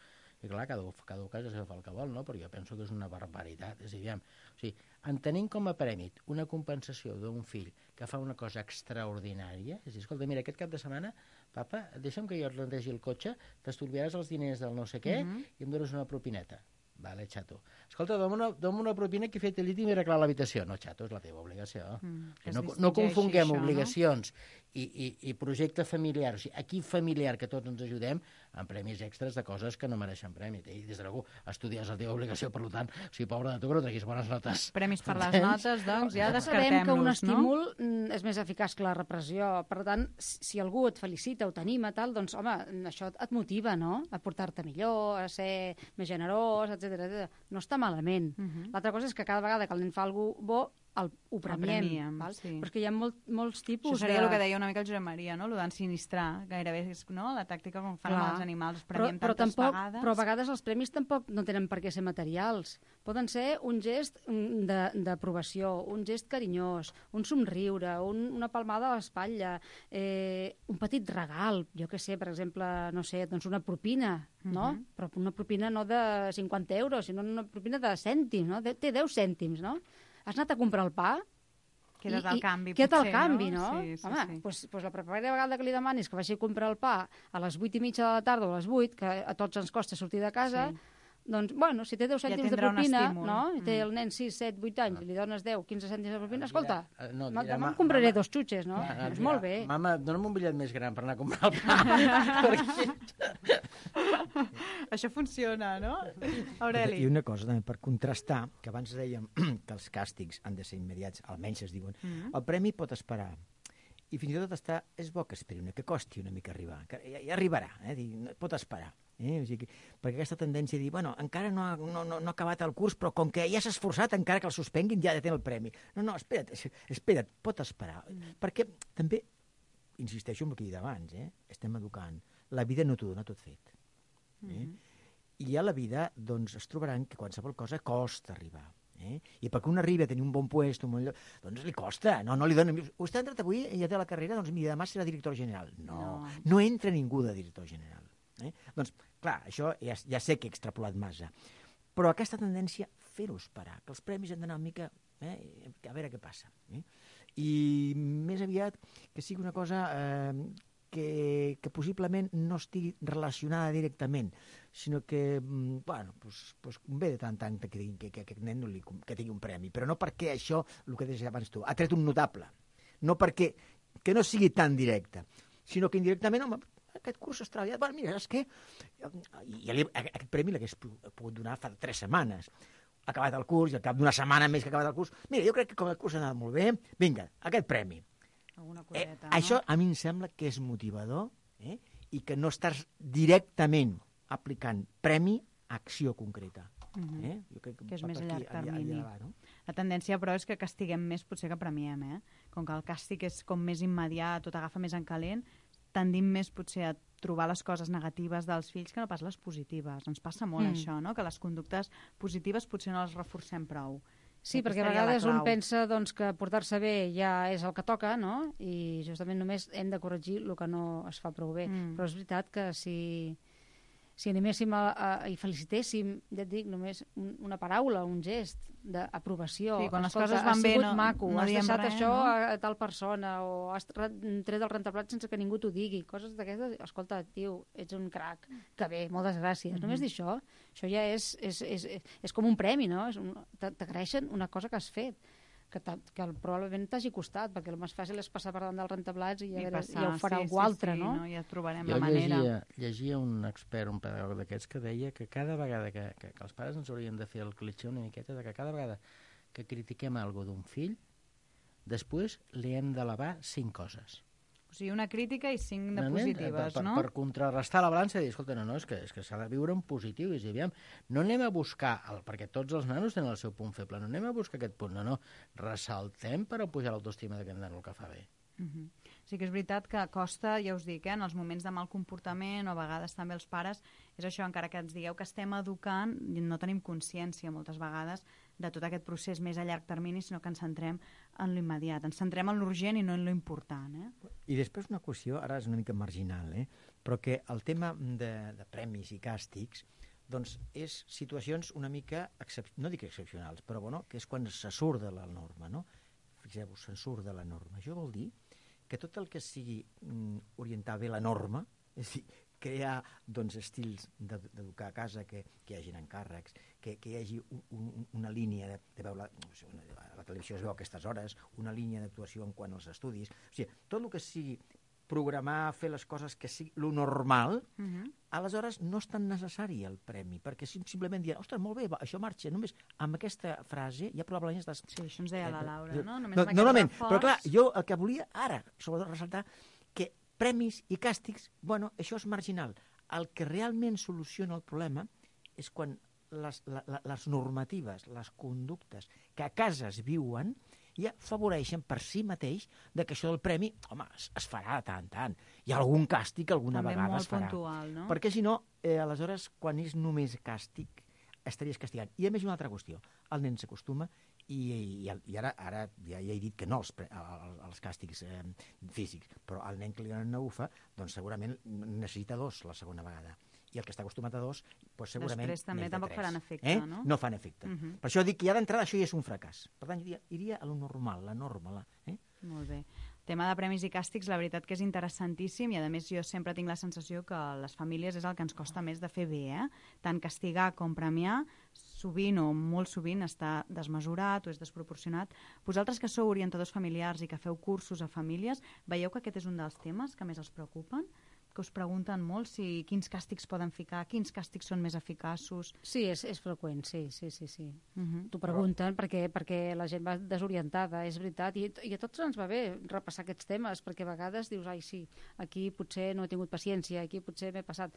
i clar, cada, cada cas ja fa el que vol, no? Perquè jo penso que és una barbaritat. És a dir, o sigui, entenent com a prèmit una compensació d'un fill que fa una cosa extraordinària, és a dir, escolta, mira, aquest cap de setmana, papa, deixa'm que jo et rendegi el cotxe, t'estalviaràs els diners del no sé què, uh-huh. i em dones una propineta. Vale, xato. Escolta, dóna'm una, dóna'm una propina que he fet el llit i m'he arreglat l'habitació. No, xato, és la teva obligació. Mm, o sigui, no, no confonguem això, obligacions no? i, i, i projecte familiar. O sigui, aquí familiar, que tots ens ajudem, amb premis extras de coses que no mereixen premi. I des de l'algú, estudiar és la teva obligació, per tant, o sigui, pobre de tu que no treguis bones notes. Premis per les notes, doncs, ja descartem-los, sabem que un no? estímul és més eficaç que la repressió. Per tant, si algú et felicita o t'anima, tal, doncs, home, això et motiva, no?, a portar-te millor, a ser més generós, etcètera. No està malament. Uh-huh. L'altra cosa és que cada vegada que el nen fa alguna cosa bo, el, ho premiem. premiem val? Sí. Però és que hi ha molt, molts tipus Això seria de... el que deia una mica el Josep Maria, no? Lo d'ensinistrar, gairebé és, no? La tàctica com fan amb els animals, premiem però, però tantes tampoc, vegades. Però a vegades els premis tampoc no tenen per què ser materials. Poden ser un gest d'aprovació, un gest carinyós, un somriure, un, una palmada a l'espatlla, eh, un petit regal, jo què sé, per exemple, no sé, doncs una propina, no? Uh-huh. Però una propina no de cinquanta euros, sinó una propina de cèntims, no? De, té deu cèntims, no? Has anat a comprar el pa? Queda't al canvi, potser, potser, el canvi, no? no? Sí, sí, Home, sí. Pues, pues la primera vegada que li demanis que vagi a comprar el pa a les vuit i mitja de la tarda o a les vuit, que a tots ens costa sortir de casa, sí. Doncs, bueno, si té deu cèntims ja de propina, no? I té el nen sis, set, vuit anys, i li dones deu, quinze cèntims de propina, escolta, no, dirà, demà em compraré mama, dos xutxes, no? Ah, doncs dirà, molt bé. Mama, dona'm un bitllet més gran per anar a comprar el pa. Això funciona, no? Aureli. I una cosa, també, per contrastar, que abans dèiem que els càstigs han de ser immediats, almenys es diuen, mm-hmm. el premi pot esperar. I fins i tot està, és bo que esperi una, que costi una mica arribar, que ja, ja arribarà, eh? Dir, pot esperar. Eh? O sigui, perquè aquesta tendència a dir, bueno, encara no ha, no, no, no ha acabat el curs, però com que ja s'ha esforçat, encara que el suspenguin, ja ha de tenir el premi. No, no, espera't, espera't, pot esperar. Mm. Perquè també, insisteixo en el que he dit abans, eh? Estem educant. La vida no t'ho dona tot fet. Eh? Mm-hmm. I a la vida, doncs, es trobaran que qualsevol cosa costa arribar. Eh? I perquè un arribi a tenir un bon puesto, un bon lloc, doncs li costa, no, no li dona... Vostè ha entrat avui i ja té la carrera, doncs mira, demà serà director general. No, no, no entra ningú de director general. Eh? Doncs, clar, això ja, ja sé que he extrapolat massa, però aquesta tendència, fer-ho esperar, que els premis han d'anar una mica, eh, a veure què passa. Eh? I més aviat que sigui una cosa eh, que, que possiblement no estigui relacionada directament, sinó que, bueno, pues, pues ve de tant tant que, que, que, que aquest nen no li, que tingui un premi, però no perquè això, el que deies abans tu, ha tret un notable, no perquè que no sigui tan directe, sinó que indirectament, home, aquest curs s'ha treballat, bueno, mira, és que ja li, aquest premi l'hagués pogut donar fa tres setmanes, ha acabat el curs, i al cap d'una setmana més que ha acabat el curs, mira, jo crec que com el curs ha anat molt bé, vinga, aquest premi. Alguna coseta, eh, no? Això a mi em sembla que és motivador, eh, i que no estàs directament aplicant premi acció concreta. Mhm. eh? Jo crec Que és va més per a aquí, llarg termini. allà va, no? La tendència, però, és que castiguem més potser que premiem, eh? Com que el càstig és com més immediat, tot agafa més en calent, tendim més potser a trobar les coses negatives dels fills que no pas les positives. Ens passa molt Mm. això, no? Que les conductes positives potser no les reforcem prou. Sí, Aquesta perquè a seria la vegades un clau. pensa doncs, que portar-se bé ja és el que toca, no? I justament només hem de corregir el que no es fa prou bé. Mm. Però és veritat que si, si animéssim a, a, i felicitéssim, ja et dic, només un, una paraula, un gest d'aprovació. Sí, quan les Escolta, coses van has bé sigut no- maco, no has diem deixat res, això no? a, a tal persona, o has tre- tret el rentaplats sense que ningú t'ho digui. Coses d'aquestes, escolta, tio, ets un crac, que bé, moltes gràcies. Mhm. Només dir això, això ja és, és, és, és, és com un premi, no? És un- t'a- T'agraeixen una cosa que has fet, que, t'ha- que probablement t'hagi costat, perquè el més fàcil és passar per davant del rentaplats i, ja, I veure, passar, ja ho farà sí, algú sí, altre, sí, no? no? Ja trobarem Jo la manera. llegia, llegia un expert, un pedagog d'aquests, que deia que cada vegada que, que, que els pares ens haurien de fer el clitxer una miqueta de que cada vegada que critiquem alguna d'un fill, després li hem d'elevar cinc coses. O sigui, una crítica i cinc de No, nen, positives, per, per, no? Per contrarrestar la balança i dir, escolta, no, no, és que, és que s'ha de viure en positiu. I dir, aviam, no anem a buscar, el, perquè tots els nanos tenen el seu punt feble, no anem a buscar aquest punt, no, no, ressaltem per a pujar l'autoestima d'aquest nano el que fa bé. Uh -huh. Sí que és veritat que costa, ja us dic, eh, en els moments de mal comportament o a vegades també els pares, és això, encara que ens digueu que estem educant, no tenim consciència moltes vegades de tot aquest procés més a llarg termini, sinó que ens centrem en l'immediat, ens centrem en l'urgent i no en l'important. Eh? I després una qüestió, ara és una mica marginal, eh? però que el tema de, de premis i càstigs doncs és situacions una mica, excep... no dic excepcionals, però bueno, que és quan se surt de la norma, no? Fixeu-vos, se'n surt de la norma. Això vol dir que tot el que sigui mm, orientar bé la norma, és a dir, crear doncs, estils d'educar a casa, que, que hi hagin encàrrecs, que, que hi hagi un, un, una línia de, de veure, no sé, una, a la televisió es veu a aquestes hores, una línia d'actuació en quant als estudis, o sigui, tot el que sigui programar, fer les coses que sigui lo normal, Uh -huh. aleshores no és tan necessari el premi, perquè sim, simplement dir, ostres, molt bé, va, això marxa, només amb aquesta frase ja probablement estàs... Sí, això ens deia la Laura, no? Només no amb aquest normalment, reforç... però clar, jo el que volia ara, sobretot ressaltar, que premis i càstigs, bueno, això és marginal. El que realment soluciona el problema és quan les, la, la, les normatives, les conductes que a casa es viuen, ja afavoreixen per si mateix de que això del premi, home, es, es farà de tant en tant. Hi ha algun càstig alguna També vegada molt es farà. puntual, no? Perquè si no, eh, aleshores, quan és només càstig, estaries castigant. I a més una altra qüestió, el nen s'acostuma i, i, i ara, ara ja, ja he dit que no als, als càstigs eh, físics, però el nen que li donen una ufa, doncs segurament necessita dos la segona vegada. I el que està acostumat a dos, doncs segurament Després també més de tampoc tres. faran efecte, eh? no? No fan efecte. Uh -huh. Per això dic que ja d'entrada això ja és un fracàs. Per tant, iria, iria a lo normal, la norma. La, eh? Molt bé. El tema de premis i càstigs, la veritat que és interessantíssim i, a més, jo sempre tinc la sensació que les famílies és el que ens costa més de fer bé, eh? Tant castigar com premiar, sovint o molt sovint està desmesurat o és desproporcionat. Vosaltres que sou orientadors familiars i que feu cursos a famílies, veieu que aquest és un dels temes que més els preocupen? Que us pregunten molt si quins càstigs poden ficar, quins càstigs són més eficaços. Sí, és, és freqüent, sí, sí, sí. sí. Uh -huh. T'ho pregunten perquè, perquè la gent va desorientada, és veritat, i, i a tots ens va bé repassar aquests temes, perquè a vegades dius, ai, sí, aquí potser no he tingut paciència, aquí potser m'he passat.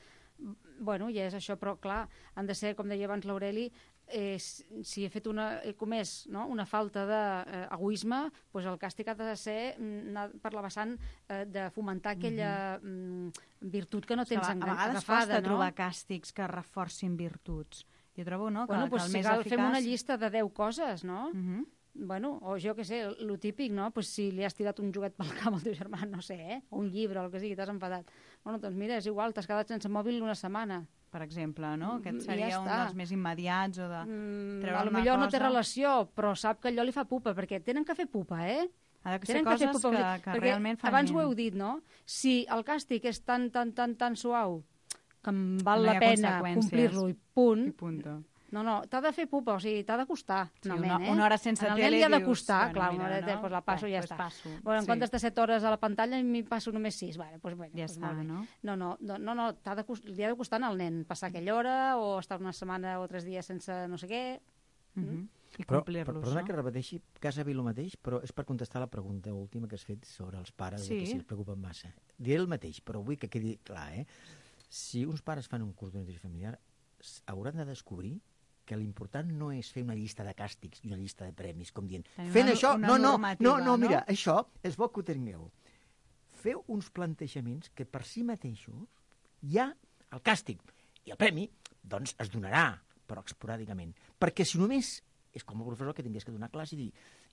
Bueno, ja és això, però clar, han de ser, com deia abans l'Aureli, eh, si he fet una, he comès no? una falta d'egoisme, eh, doncs el càstig ha de ser anar per la vessant eh, de fomentar aquella mm, virtut que no tens a, a vegades agafada, costa no? trobar càstigs que reforcin virtuts. Jo trobo, no?, que, Bueno, que pues, el si més cal, eficaç... fem una llista de deu coses, no? Uh -huh. Bueno, o jo què sé, lo típic, no? Pues si li has tirat un joguet pel camp al teu germà, no sé, eh? O un llibre o el que sigui, t'has enfadat. Bueno, doncs mira, és igual, t'has quedat sense mòbil una setmana. Per exemple, no? Aquest I seria ja un està. dels més immediats o de Mm, treure a lo una millor cosa... no té relació, però sap que allò li fa pupa, perquè tenen que fer pupa, eh? Ha de ser Tenen que fer coses pupa, que, que perquè realment facin... abans ho heu dit, no? Si el càstig és tan, tan, tan, tan suau que em val No hi la ha pena conseqüències. complir-lo i punt, I punto. no, no, t'ha de fer pupa, o sigui, t'ha de costar. Sí, finalment, una, eh? una hora sense En el tele nen li ha de dius, costar, bueno, clar, mira, una hora de no? tele, doncs la passo i ja pues està. Passo. Bueno, en Sí. comptes de set hores a la pantalla, m'hi passo només sis. Vale, doncs, bueno, Ja doncs està, molt bé. no? No, no, no, no, no t'ha de, cost- li ha de costar al nen passar aquella hora o estar una setmana o tres dies sense no sé què. Uh -huh. I Però, complir-los, per, perdona no? que repeteixi quasi el mateix, però és per contestar la pregunta última que has fet sobre els pares, Sí. que si els preocupen massa. Diré el mateix, però vull que quedi clar, eh? Si uns pares fan un curs d'orientació familiar, hauran de descobrir que l'important no és fer una llista de càstigs i una llista de premis, com dient, Tenim fent una- això, una no, no, normativa, no, no, mira, no? això és bo que ho tingueu. Feu uns plantejaments que per si mateixos ja el càstig i el premi, doncs, es donarà, però esporàdicament. Perquè si només és com el professor que tingués que donar classe i dir,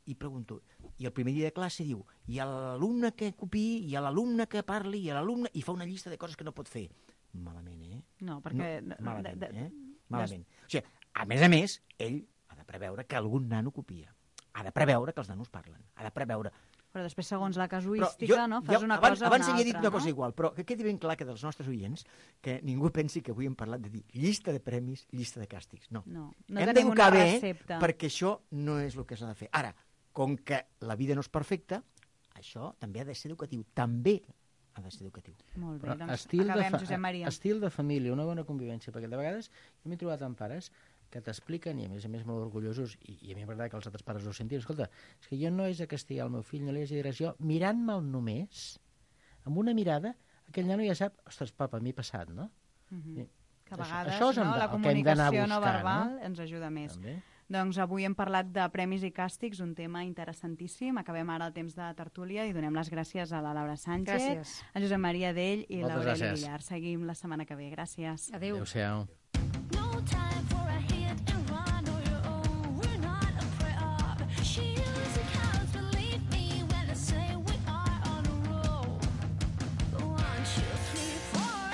i pregunto, i el primer dia de classe diu, i a l'alumne que copiï, i a l'alumne que parli, i a l'alumne, i fa una llista de coses que no pot fer. Malament, eh? No, perquè... No, malament, de- de- eh? Malament. O sigui, a més a més, ell ha de preveure que algun nano copia. Ha de preveure que els nanos parlen. Ha de preveure... Però després, segons la Però casuística, no? Fas una abans, cosa o abans una havia dit altra, una cosa no? igual, però que quedi ben clar que dels nostres oients, que ningú pensi que avui hem parlat de dir llista de premis, llista de càstigs. No. No, no hem tenim una d'educar bé, recepta. perquè això no és el que s'ha de fer. Ara, com que la vida no és perfecta, això també ha de ser educatiu. També ha de ser educatiu. Molt bé, Però doncs estil, de acabem, fa- Josep Maria. estil de família, una bona convivència, perquè de vegades jo m'he trobat amb pares que t'expliquen, i a més a més molt orgullosos, i, i a mi m'agrada que els altres pares ho sentin, escolta, és que jo no és a castigar el meu fill, no li és a dir res, jo mirant-me'l només, amb una mirada, aquell nano ja sap, ostres, papa, m'he passat, no? Mhm. I Que a això- vegades això és no, on- la el que hem d'anar a comunicació no buscar, verbal no? ens ajuda més. També. Doncs avui hem parlat de premis i càstigs, un tema interessantíssim. Acabem ara el temps de tertúlia i donem les gràcies a la Laura Sánchez, Gràcies. a Josep Maria Dell i Moltes l'Aureli gràcies. Villar. Seguim la setmana que ve. Gràcies. Adéu. Adéu-siau. No time for a hit and run on your own. We're not a prep. She usually counts, believe me when I say we are on a roll. One, two, three, four.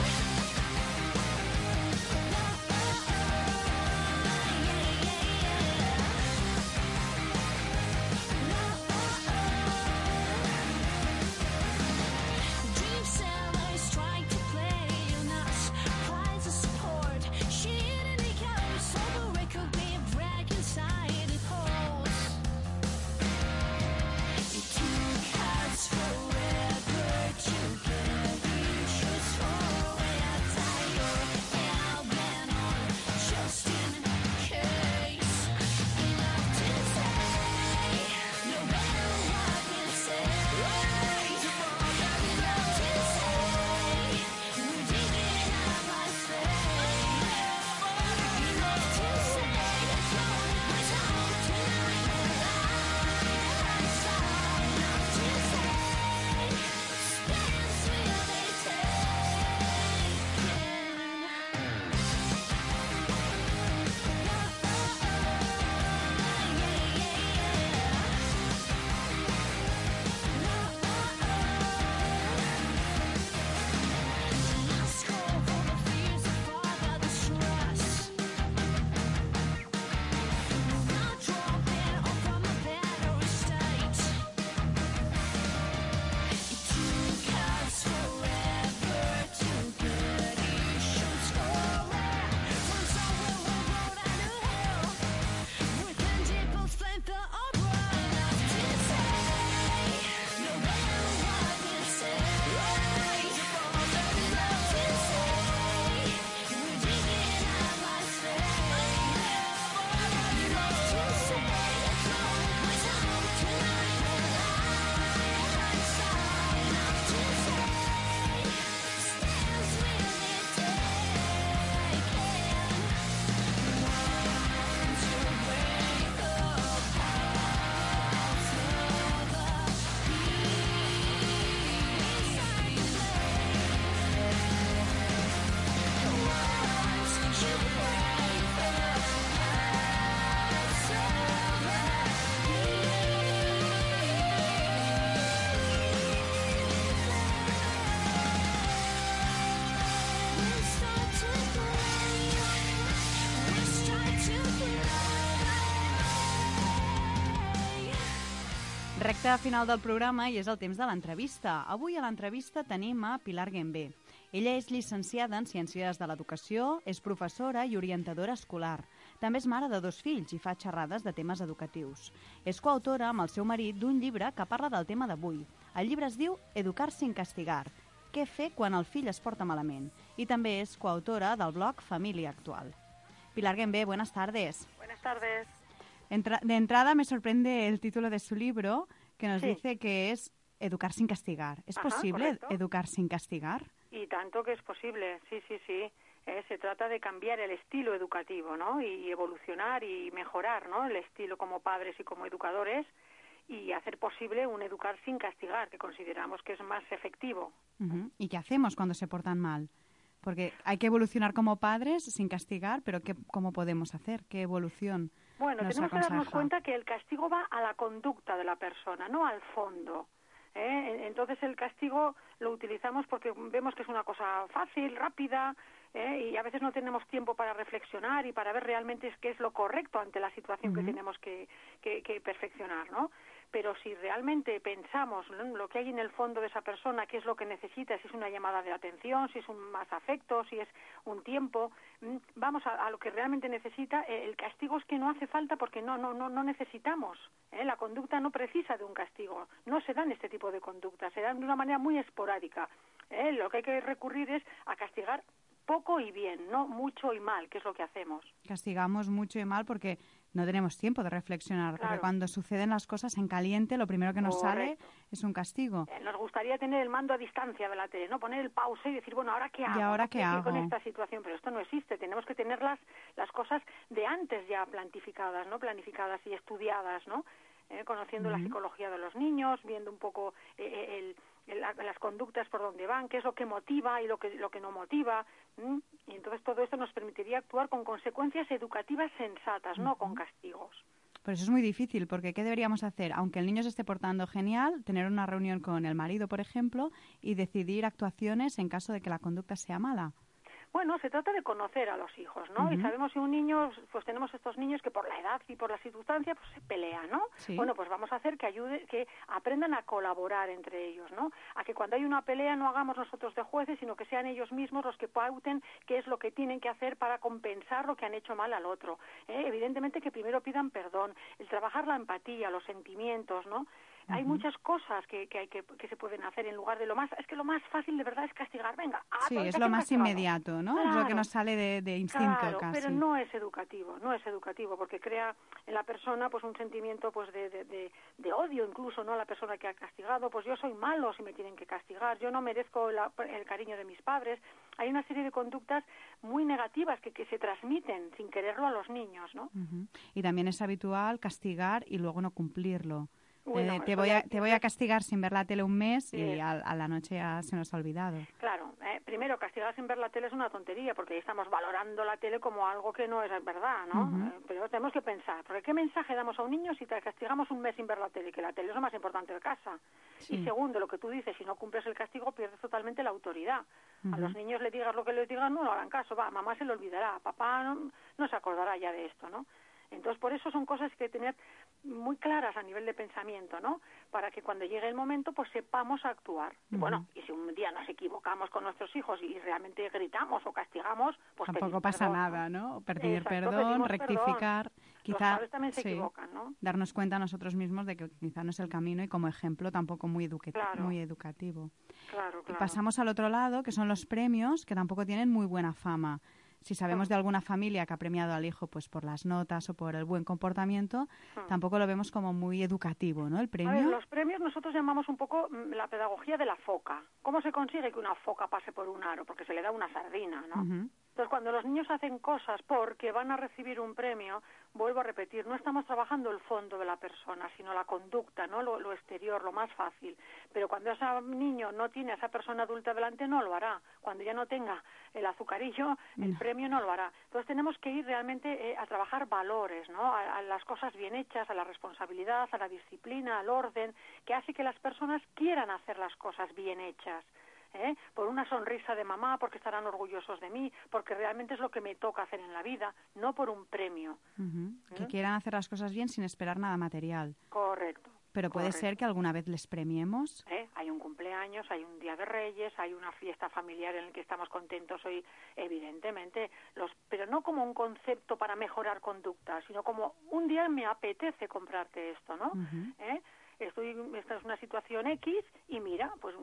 Dream sellers trying to play on us. Prize of support. She didn't care. So the record be brag inside it holds. It took us forever to get issues for a tire. Now been on just in case. Enough to say. No matter what we say. Enough to say. We're digging out my face. Enough to say. That's all my time tonight. Enough to say. Stands will they Recte final del programa i és el temps de l'entrevista. Avui a l'entrevista tenim a Pilar Guembé. Ella és llicenciada en Ciències de l'Educació, és professora i orientadora escolar. També és mare de dos fills i fa xerrades de temes educatius. És coautora amb el seu marit d'un llibre que parla del tema d'avui. El llibre es diu Educar sin castigar. Què fer quan el fill es porta malament? I també és coautora del blog Família Actual. Pilar Guembé, buenas tardes. Buenas tardes. Entra- de entrada me sorprende el título de su libro, que nos Sí. dice que es Educar sin castigar. ¿Es Ajá, posible correcto. educar sin castigar? Y tanto que es posible, sí, sí, sí. Eh, se trata de cambiar el estilo educativo, ¿no? Y evolucionar y mejorar, ¿no? El estilo como padres y como educadores y hacer posible un educar sin castigar, que consideramos que es más efectivo. Uh-huh. ¿Y qué hacemos cuando se portan mal? Porque hay que evolucionar como padres sin castigar, pero ¿qué, ¿cómo podemos hacer? ¿Qué evolución Bueno, nos tenemos aconseja? que darnos cuenta que el castigo va a la conducta de la persona, no al fondo. ¿eh? Entonces el castigo lo utilizamos porque vemos que es una cosa fácil, rápida, ¿eh? y a veces no tenemos tiempo para reflexionar y para ver realmente qué es lo correcto ante la situación uh-huh. que tenemos que, que, que perfeccionar, ¿no? Pero si realmente pensamos, ¿no?, lo que hay en el fondo de esa persona, qué es lo que necesita, si es una llamada de atención, si es un más afecto, si es un tiempo, vamos a, a lo que realmente necesita. El castigo es que no hace falta porque no no no no necesitamos. ¿eh? La conducta no precisa de un castigo, no se dan este tipo de conductas, se dan de una manera muy esporádica. ¿eh? Lo que hay que recurrir es a castigar poco y bien, no mucho y mal, que es lo que hacemos. Castigamos mucho y mal porque no tenemos tiempo de reflexionar, claro. porque cuando suceden las cosas en caliente, lo primero que nos Correcto. sale es un castigo. Eh, nos gustaría tener el mando a distancia de la tele, ¿no? Poner el pause y decir, bueno, ¿ahora qué hago? ¿Y ahora ¿no? qué, ¿Qué hago? con esta situación? Pero esto no existe, tenemos que tener las, las cosas de antes ya planificadas, ¿no? Planificadas y estudiadas, ¿no? Eh, conociendo uh-huh. la psicología de los niños, viendo un poco eh, el, el, las conductas por donde van, qué es lo que motiva y lo que lo que no motiva, ¿m? Y entonces todo esto nos permitiría actuar con consecuencias educativas sensatas, uh-huh. no con castigos. Pero eso es muy difícil, porque ¿qué deberíamos hacer? Aunque el niño se esté portando genial, tener una reunión con el marido, por ejemplo, y decidir actuaciones en caso de que la conducta sea mala. Bueno, se trata de conocer a los hijos, ¿no? Uh-huh. Y sabemos si un niño, pues tenemos estos niños que por la edad y por la circunstancia, pues se pelean, ¿no? Sí. Bueno, pues vamos a hacer que ayude, que aprendan a colaborar entre ellos, ¿no? A que cuando hay una pelea no hagamos nosotros de jueces, sino que sean ellos mismos los que pauten qué es lo que tienen que hacer para compensar lo que han hecho mal al otro. ¿eh? Evidentemente que primero pidan perdón, el trabajar la empatía, los sentimientos, ¿no? Uh-huh. Hay muchas cosas que, que hay que, que se pueden hacer en lugar de lo más... Es que lo más fácil de verdad es castigar. Venga, ah, sí, es lo más castigado. Inmediato, ¿no? Claro, es lo que nos sale de, de instinto claro, casi. Pero no es educativo, no es educativo, porque crea en la persona pues un sentimiento pues de, de, de, de odio incluso, ¿no? A la persona que ha castigado, pues yo soy malo si me tienen que castigar, yo no merezco la, el cariño de mis padres. Hay una serie de conductas muy negativas que, que se transmiten sin quererlo a los niños, ¿no? Uh-huh. Y también es habitual castigar y luego no cumplirlo. Bueno, eh, te, voy a, te voy a castigar sin ver la tele un mes sí. y a, a la noche ya se nos ha olvidado. Claro, eh, primero castigar sin ver la tele es una tontería porque ahí estamos valorando la tele como algo que no es verdad, ¿no? Uh-huh. Eh, pero tenemos que pensar, porque ¿qué mensaje damos a un niño si te castigamos un mes sin ver la tele? Que la tele es lo más importante de casa. Sí. Y segundo, lo que tú dices, si no cumples el castigo pierdes totalmente la autoridad. Uh-huh. A los niños les digas lo que les digan, no lo harán caso, va, mamá se lo olvidará, papá no, no se acordará ya de esto, ¿no? Entonces, por eso son cosas que hay que tener muy claras a nivel de pensamiento, ¿no? Para que cuando llegue el momento, pues sepamos actuar. Uh-huh. Y bueno, y si un día nos equivocamos con nuestros hijos y realmente gritamos o castigamos, pues tampoco pasa perdón, nada, ¿no? Pedir Exacto, perdón, rectificar. Perdón. Quizá, los padres también se sí, equivocan, ¿no? Darnos cuenta nosotros mismos de que quizá no es el camino y como ejemplo tampoco muy, educa- claro. muy educativo. Claro, claro. Y pasamos al otro lado, que son los premios, que tampoco tienen muy buena fama. Si sabemos de alguna familia que ha premiado al hijo pues por las notas o por el buen comportamiento, hmm. tampoco lo vemos como muy educativo, ¿no? El premio. A ver, los premios nosotros llamamos un poco la pedagogía de la foca. ¿Cómo se consigue que una foca pase por un aro? Porque se le da una sardina, ¿no? Uh-huh. Entonces, cuando los niños hacen cosas porque van a recibir un premio, vuelvo a repetir, no estamos trabajando el fondo de la persona, sino la conducta, ¿no? Lo, lo exterior, lo más fácil. Pero cuando ese niño no tiene a esa persona adulta delante, no lo hará. Cuando ya no tenga el azucarillo, el no. premio no lo hará. Entonces, tenemos que ir realmente eh, a trabajar valores, ¿no? A, a las cosas bien hechas, a la responsabilidad, a la disciplina, al orden, que hace que las personas quieran hacer las cosas bien hechas. ¿Eh? Por una sonrisa de mamá, porque estarán orgullosos de mí, porque realmente es lo que me toca hacer en la vida, no por un premio. Uh-huh. ¿Eh? Que quieran hacer las cosas bien sin esperar nada material. Correcto. Pero puede correcto. ser que alguna vez les premiemos. ¿Eh? Hay un cumpleaños, hay un día de Reyes, hay una fiesta familiar en la que estamos contentos hoy, evidentemente, los, pero no como un concepto para mejorar conducta, sino como un día me apetece comprarte esto, ¿no? Uh-huh. ¿Eh? Estoy, esta es una situación X y mira, pues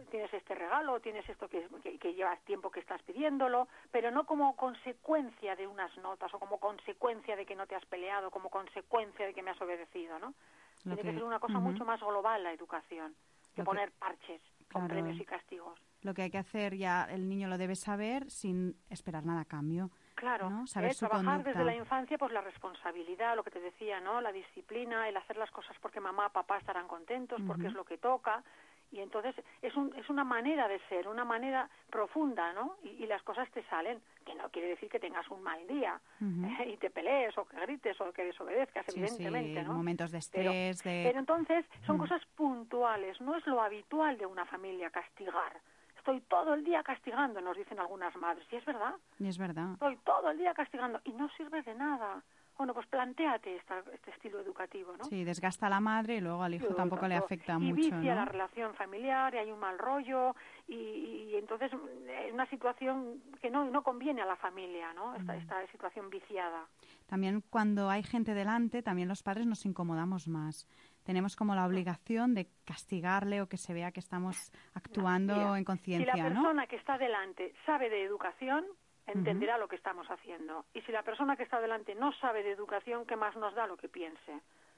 tienes este regalo, tienes esto que, que, que llevas tiempo que estás pidiéndolo, pero no como consecuencia de unas notas o como consecuencia de que no te has peleado, como consecuencia de que me has obedecido, ¿no? Tiene que, que ser una cosa uh-huh. mucho más global la educación, que Lo poner que... parches. con Claro. premios y castigos. Lo que hay que hacer ya el niño lo debe saber sin esperar nada a cambio. Claro, ¿no? Saber eh, su trabajar conducta. desde la infancia pues la responsabilidad, lo que te decía, ¿no? La disciplina, el hacer las cosas porque mamá, papá estarán contentos, porque Ujú. es lo que toca. Y entonces es, un, es una manera de ser, una manera profunda, ¿no? Y, y las cosas te salen, que no quiere decir que tengas un mal día Ujú. eh, y te pelees o que grites o que desobedezcas, Sí, evidentemente, sí, ¿no? momentos de Pero, estrés, de... pero entonces son Ujú. cosas puntuales, no es lo habitual de una familia castigar. Estoy todo el día castigando, nos dicen algunas madres, y es verdad. Y es verdad. Estoy todo el día castigando y no sirve de nada. Bueno, pues plantéate esta, este estilo educativo, ¿no? Sí, desgasta a la madre y luego al hijo Sí, tampoco le tanto. afecta y mucho, vicia ¿no? la relación familiar, y hay un mal rollo, y, y entonces es una situación que no, no conviene a la familia, ¿no? Esta, esta situación viciada. También cuando hay gente delante, también los padres nos incomodamos más. Tenemos como la obligación de castigarle o que se vea que estamos actuando Mira, en si conciencia, la ¿no? persona que está delante sabe de educación, entenderá lo que estamos haciendo. Y si la persona que está delante no sabe de educación, ¿qué más nos da lo que piense?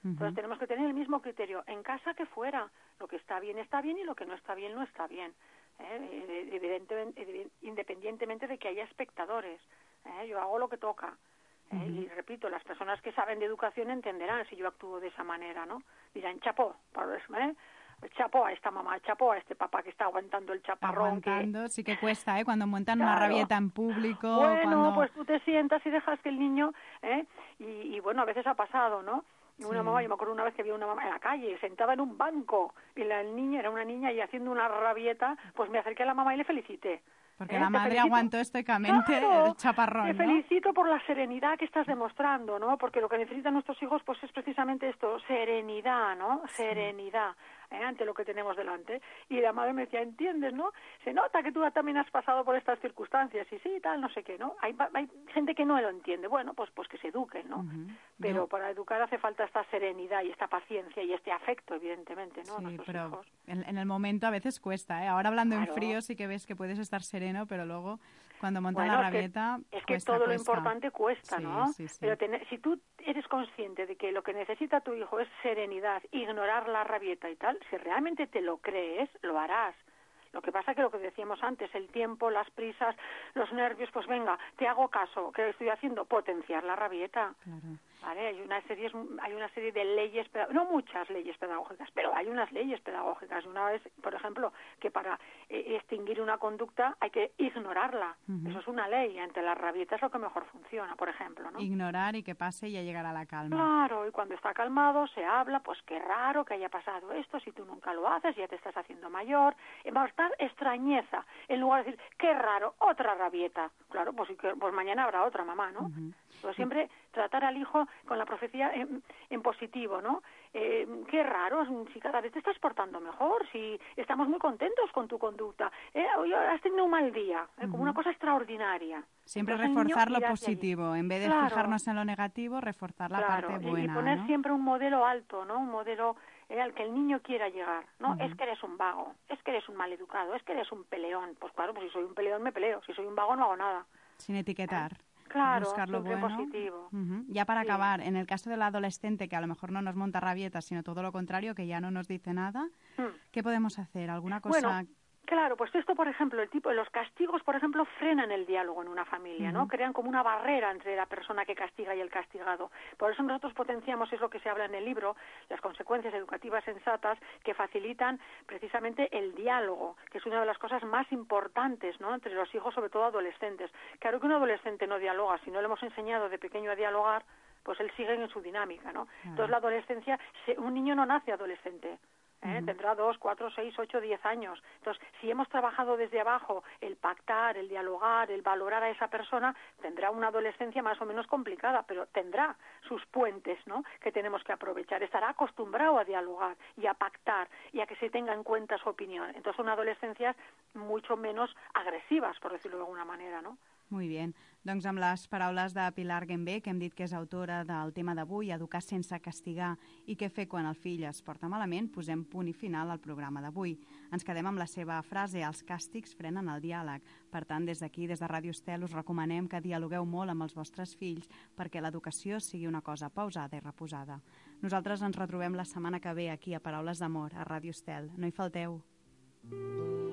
Entonces Ujú. tenemos que tener el mismo criterio en casa que fuera. Lo que está bien está bien y lo que no está bien no está bien. ¿eh? Evidentemente, independientemente de que haya espectadores. ¿eh? Yo hago lo que toca. ¿eh? Ujú. Y repito, las personas que saben de educación entenderán si yo actúo de esa manera, ¿no? Dirán, chapó, por eso, ¿eh? chapó a esta mamá, chapó a este papá que está aguantando el chaparrón. Aguantando, que... sí que cuesta, ¿eh? Cuando montan una Claro. rabieta en público, Bueno, cuando... pues tú te sientas y dejas que el niño, ¿eh? y, y bueno, a veces ha pasado, ¿no? Y una Sí. mamá, yo me acuerdo una vez que vi una mamá en la calle, sentada en un banco, y la niña era una niña y haciendo una rabieta, pues me acerqué a la mamá y le felicité. Porque ¿eh? la Te madre felicito. aguantó estoicamente Claro, el chaparrón, te ¿no? felicito por la serenidad que estás demostrando, ¿no? Porque lo que necesitan nuestros hijos, pues es precisamente esto, serenidad, ¿no? Serenidad, ¿eh? Ante lo que tenemos delante. Y la madre me decía, ¿entiendes, no? Se nota que tú también has pasado por estas circunstancias, y sí, tal, no sé qué, ¿no? Hay, hay gente que no lo entiende. Bueno, pues pues que se eduquen, ¿no? Ujú. Pero Yo- para educar hace falta esta serenidad y esta paciencia y este afecto, evidentemente, ¿no? A Sí, nuestros pero hijos. en, en el momento a veces cuesta, ¿eh? Ahora hablando Claro. en frío sí que ves que puedes estar sereno, pero luego cuando montan Bueno, la es que- rabieta Es que cuesta, todo lo cuesta. importante cuesta, Sí, ¿no? sí, sí. Pero tener- si tú eres consciente de que lo que necesita tu hijo es serenidad, ignorar la rabieta y tal, si realmente te lo crees, lo harás. Lo que pasa que lo que decíamos antes, el tiempo, las prisas, los nervios, pues venga, te hago caso. ¿Qué estoy haciendo? Potenciar la rabieta. Claro. ¿Vale? Hay una serie, hay una serie de leyes, peda- no muchas leyes pedagógicas, pero hay unas leyes pedagógicas. Una vez, por ejemplo, que para eh, extinguir una conducta hay que ignorarla. Ujú. Eso es una ley. Ante la rabieta es lo que mejor funciona, por ejemplo, ¿no? Ignorar y que pase y ya llegará la calma. Claro, y cuando está calmado se habla, pues qué raro que haya pasado esto, si tú nunca lo haces, ya te estás haciendo mayor. Y va a estar extrañeza, en lugar de decir, qué raro, otra rabieta. Claro, pues, sí que- pues mañana habrá otra mamá, ¿no? Ujú. Pues siempre tratar al hijo con la profecía en, en positivo, ¿no? Eh, qué raro, si cada vez te estás portando mejor, si estamos muy contentos con tu conducta. Eh, hoy has tenido un mal día, eh, como una cosa extraordinaria. Siempre Entonces, el niño reforzar lo irá hacia allí. positivo. En vez de Claro. fijarnos en lo negativo, reforzar la Claro, parte y- buena, y poner ¿no? siempre un modelo alto, ¿no? Un modelo eh, al que el niño quiera llegar, ¿no? Ujú. Es que eres un vago, es que eres un maleducado, es que eres un peleón. Pues claro, pues si soy un peleón me peleo, si soy un vago no hago nada. Sin etiquetar. Claro, Buscar lo siempre en bueno. positivo. Ujú. Ya para Sí. acabar, en el caso del adolescente que a lo mejor no nos monta rabietas, sino todo lo contrario, que ya no nos dice nada, Hmm. ¿qué podemos hacer? ¿Alguna cosa? Bueno, claro, pues esto, por ejemplo, el tipo, los castigos, por ejemplo, frenan el diálogo en una familia, ¿no? Ujú. Crean como una barrera entre la persona que castiga y el castigado. Por eso nosotros potenciamos, es lo que se habla en el libro, las consecuencias educativas sensatas que facilitan precisamente el diálogo, que es una de las cosas más importantes, ¿no? Entre los hijos, sobre todo adolescentes. Claro que un adolescente no dialoga, si no le hemos enseñado de pequeño a dialogar, pues él sigue en su dinámica, ¿no? Entonces la adolescencia, se- un niño no nace adolescente. ¿eh? Ujú. Tendrá dos, cuatro, seis, ocho, diez años. Entonces, si hemos trabajado desde abajo el pactar, el dialogar, el valorar a esa persona, tendrá una adolescencia más o menos complicada, pero tendrá sus puentes, ¿no? Que tenemos que aprovechar. Estará acostumbrado a dialogar y a pactar y a que se tenga en cuenta su opinión. Entonces, son adolescencias mucho menos agresivas, por decirlo de alguna manera, ¿no? Muy bien. Doncs amb les paraules de Pilar Guembé, que hem dit que és autora del tema d'avui, Educar sense castigar i què fer quan el fill es porta malament, posem punt i final al programa d'avui. Ens quedem amb la seva frase, els càstigs frenen el diàleg. Per tant, des d'aquí, des de Ràdio Estel, us recomanem que dialogueu molt amb els vostres fills perquè l'educació sigui una cosa pausada i reposada. Nosaltres ens retrobem la setmana que ve aquí a Paraules d'Amor, a Ràdio Estel. No hi falteu. Thank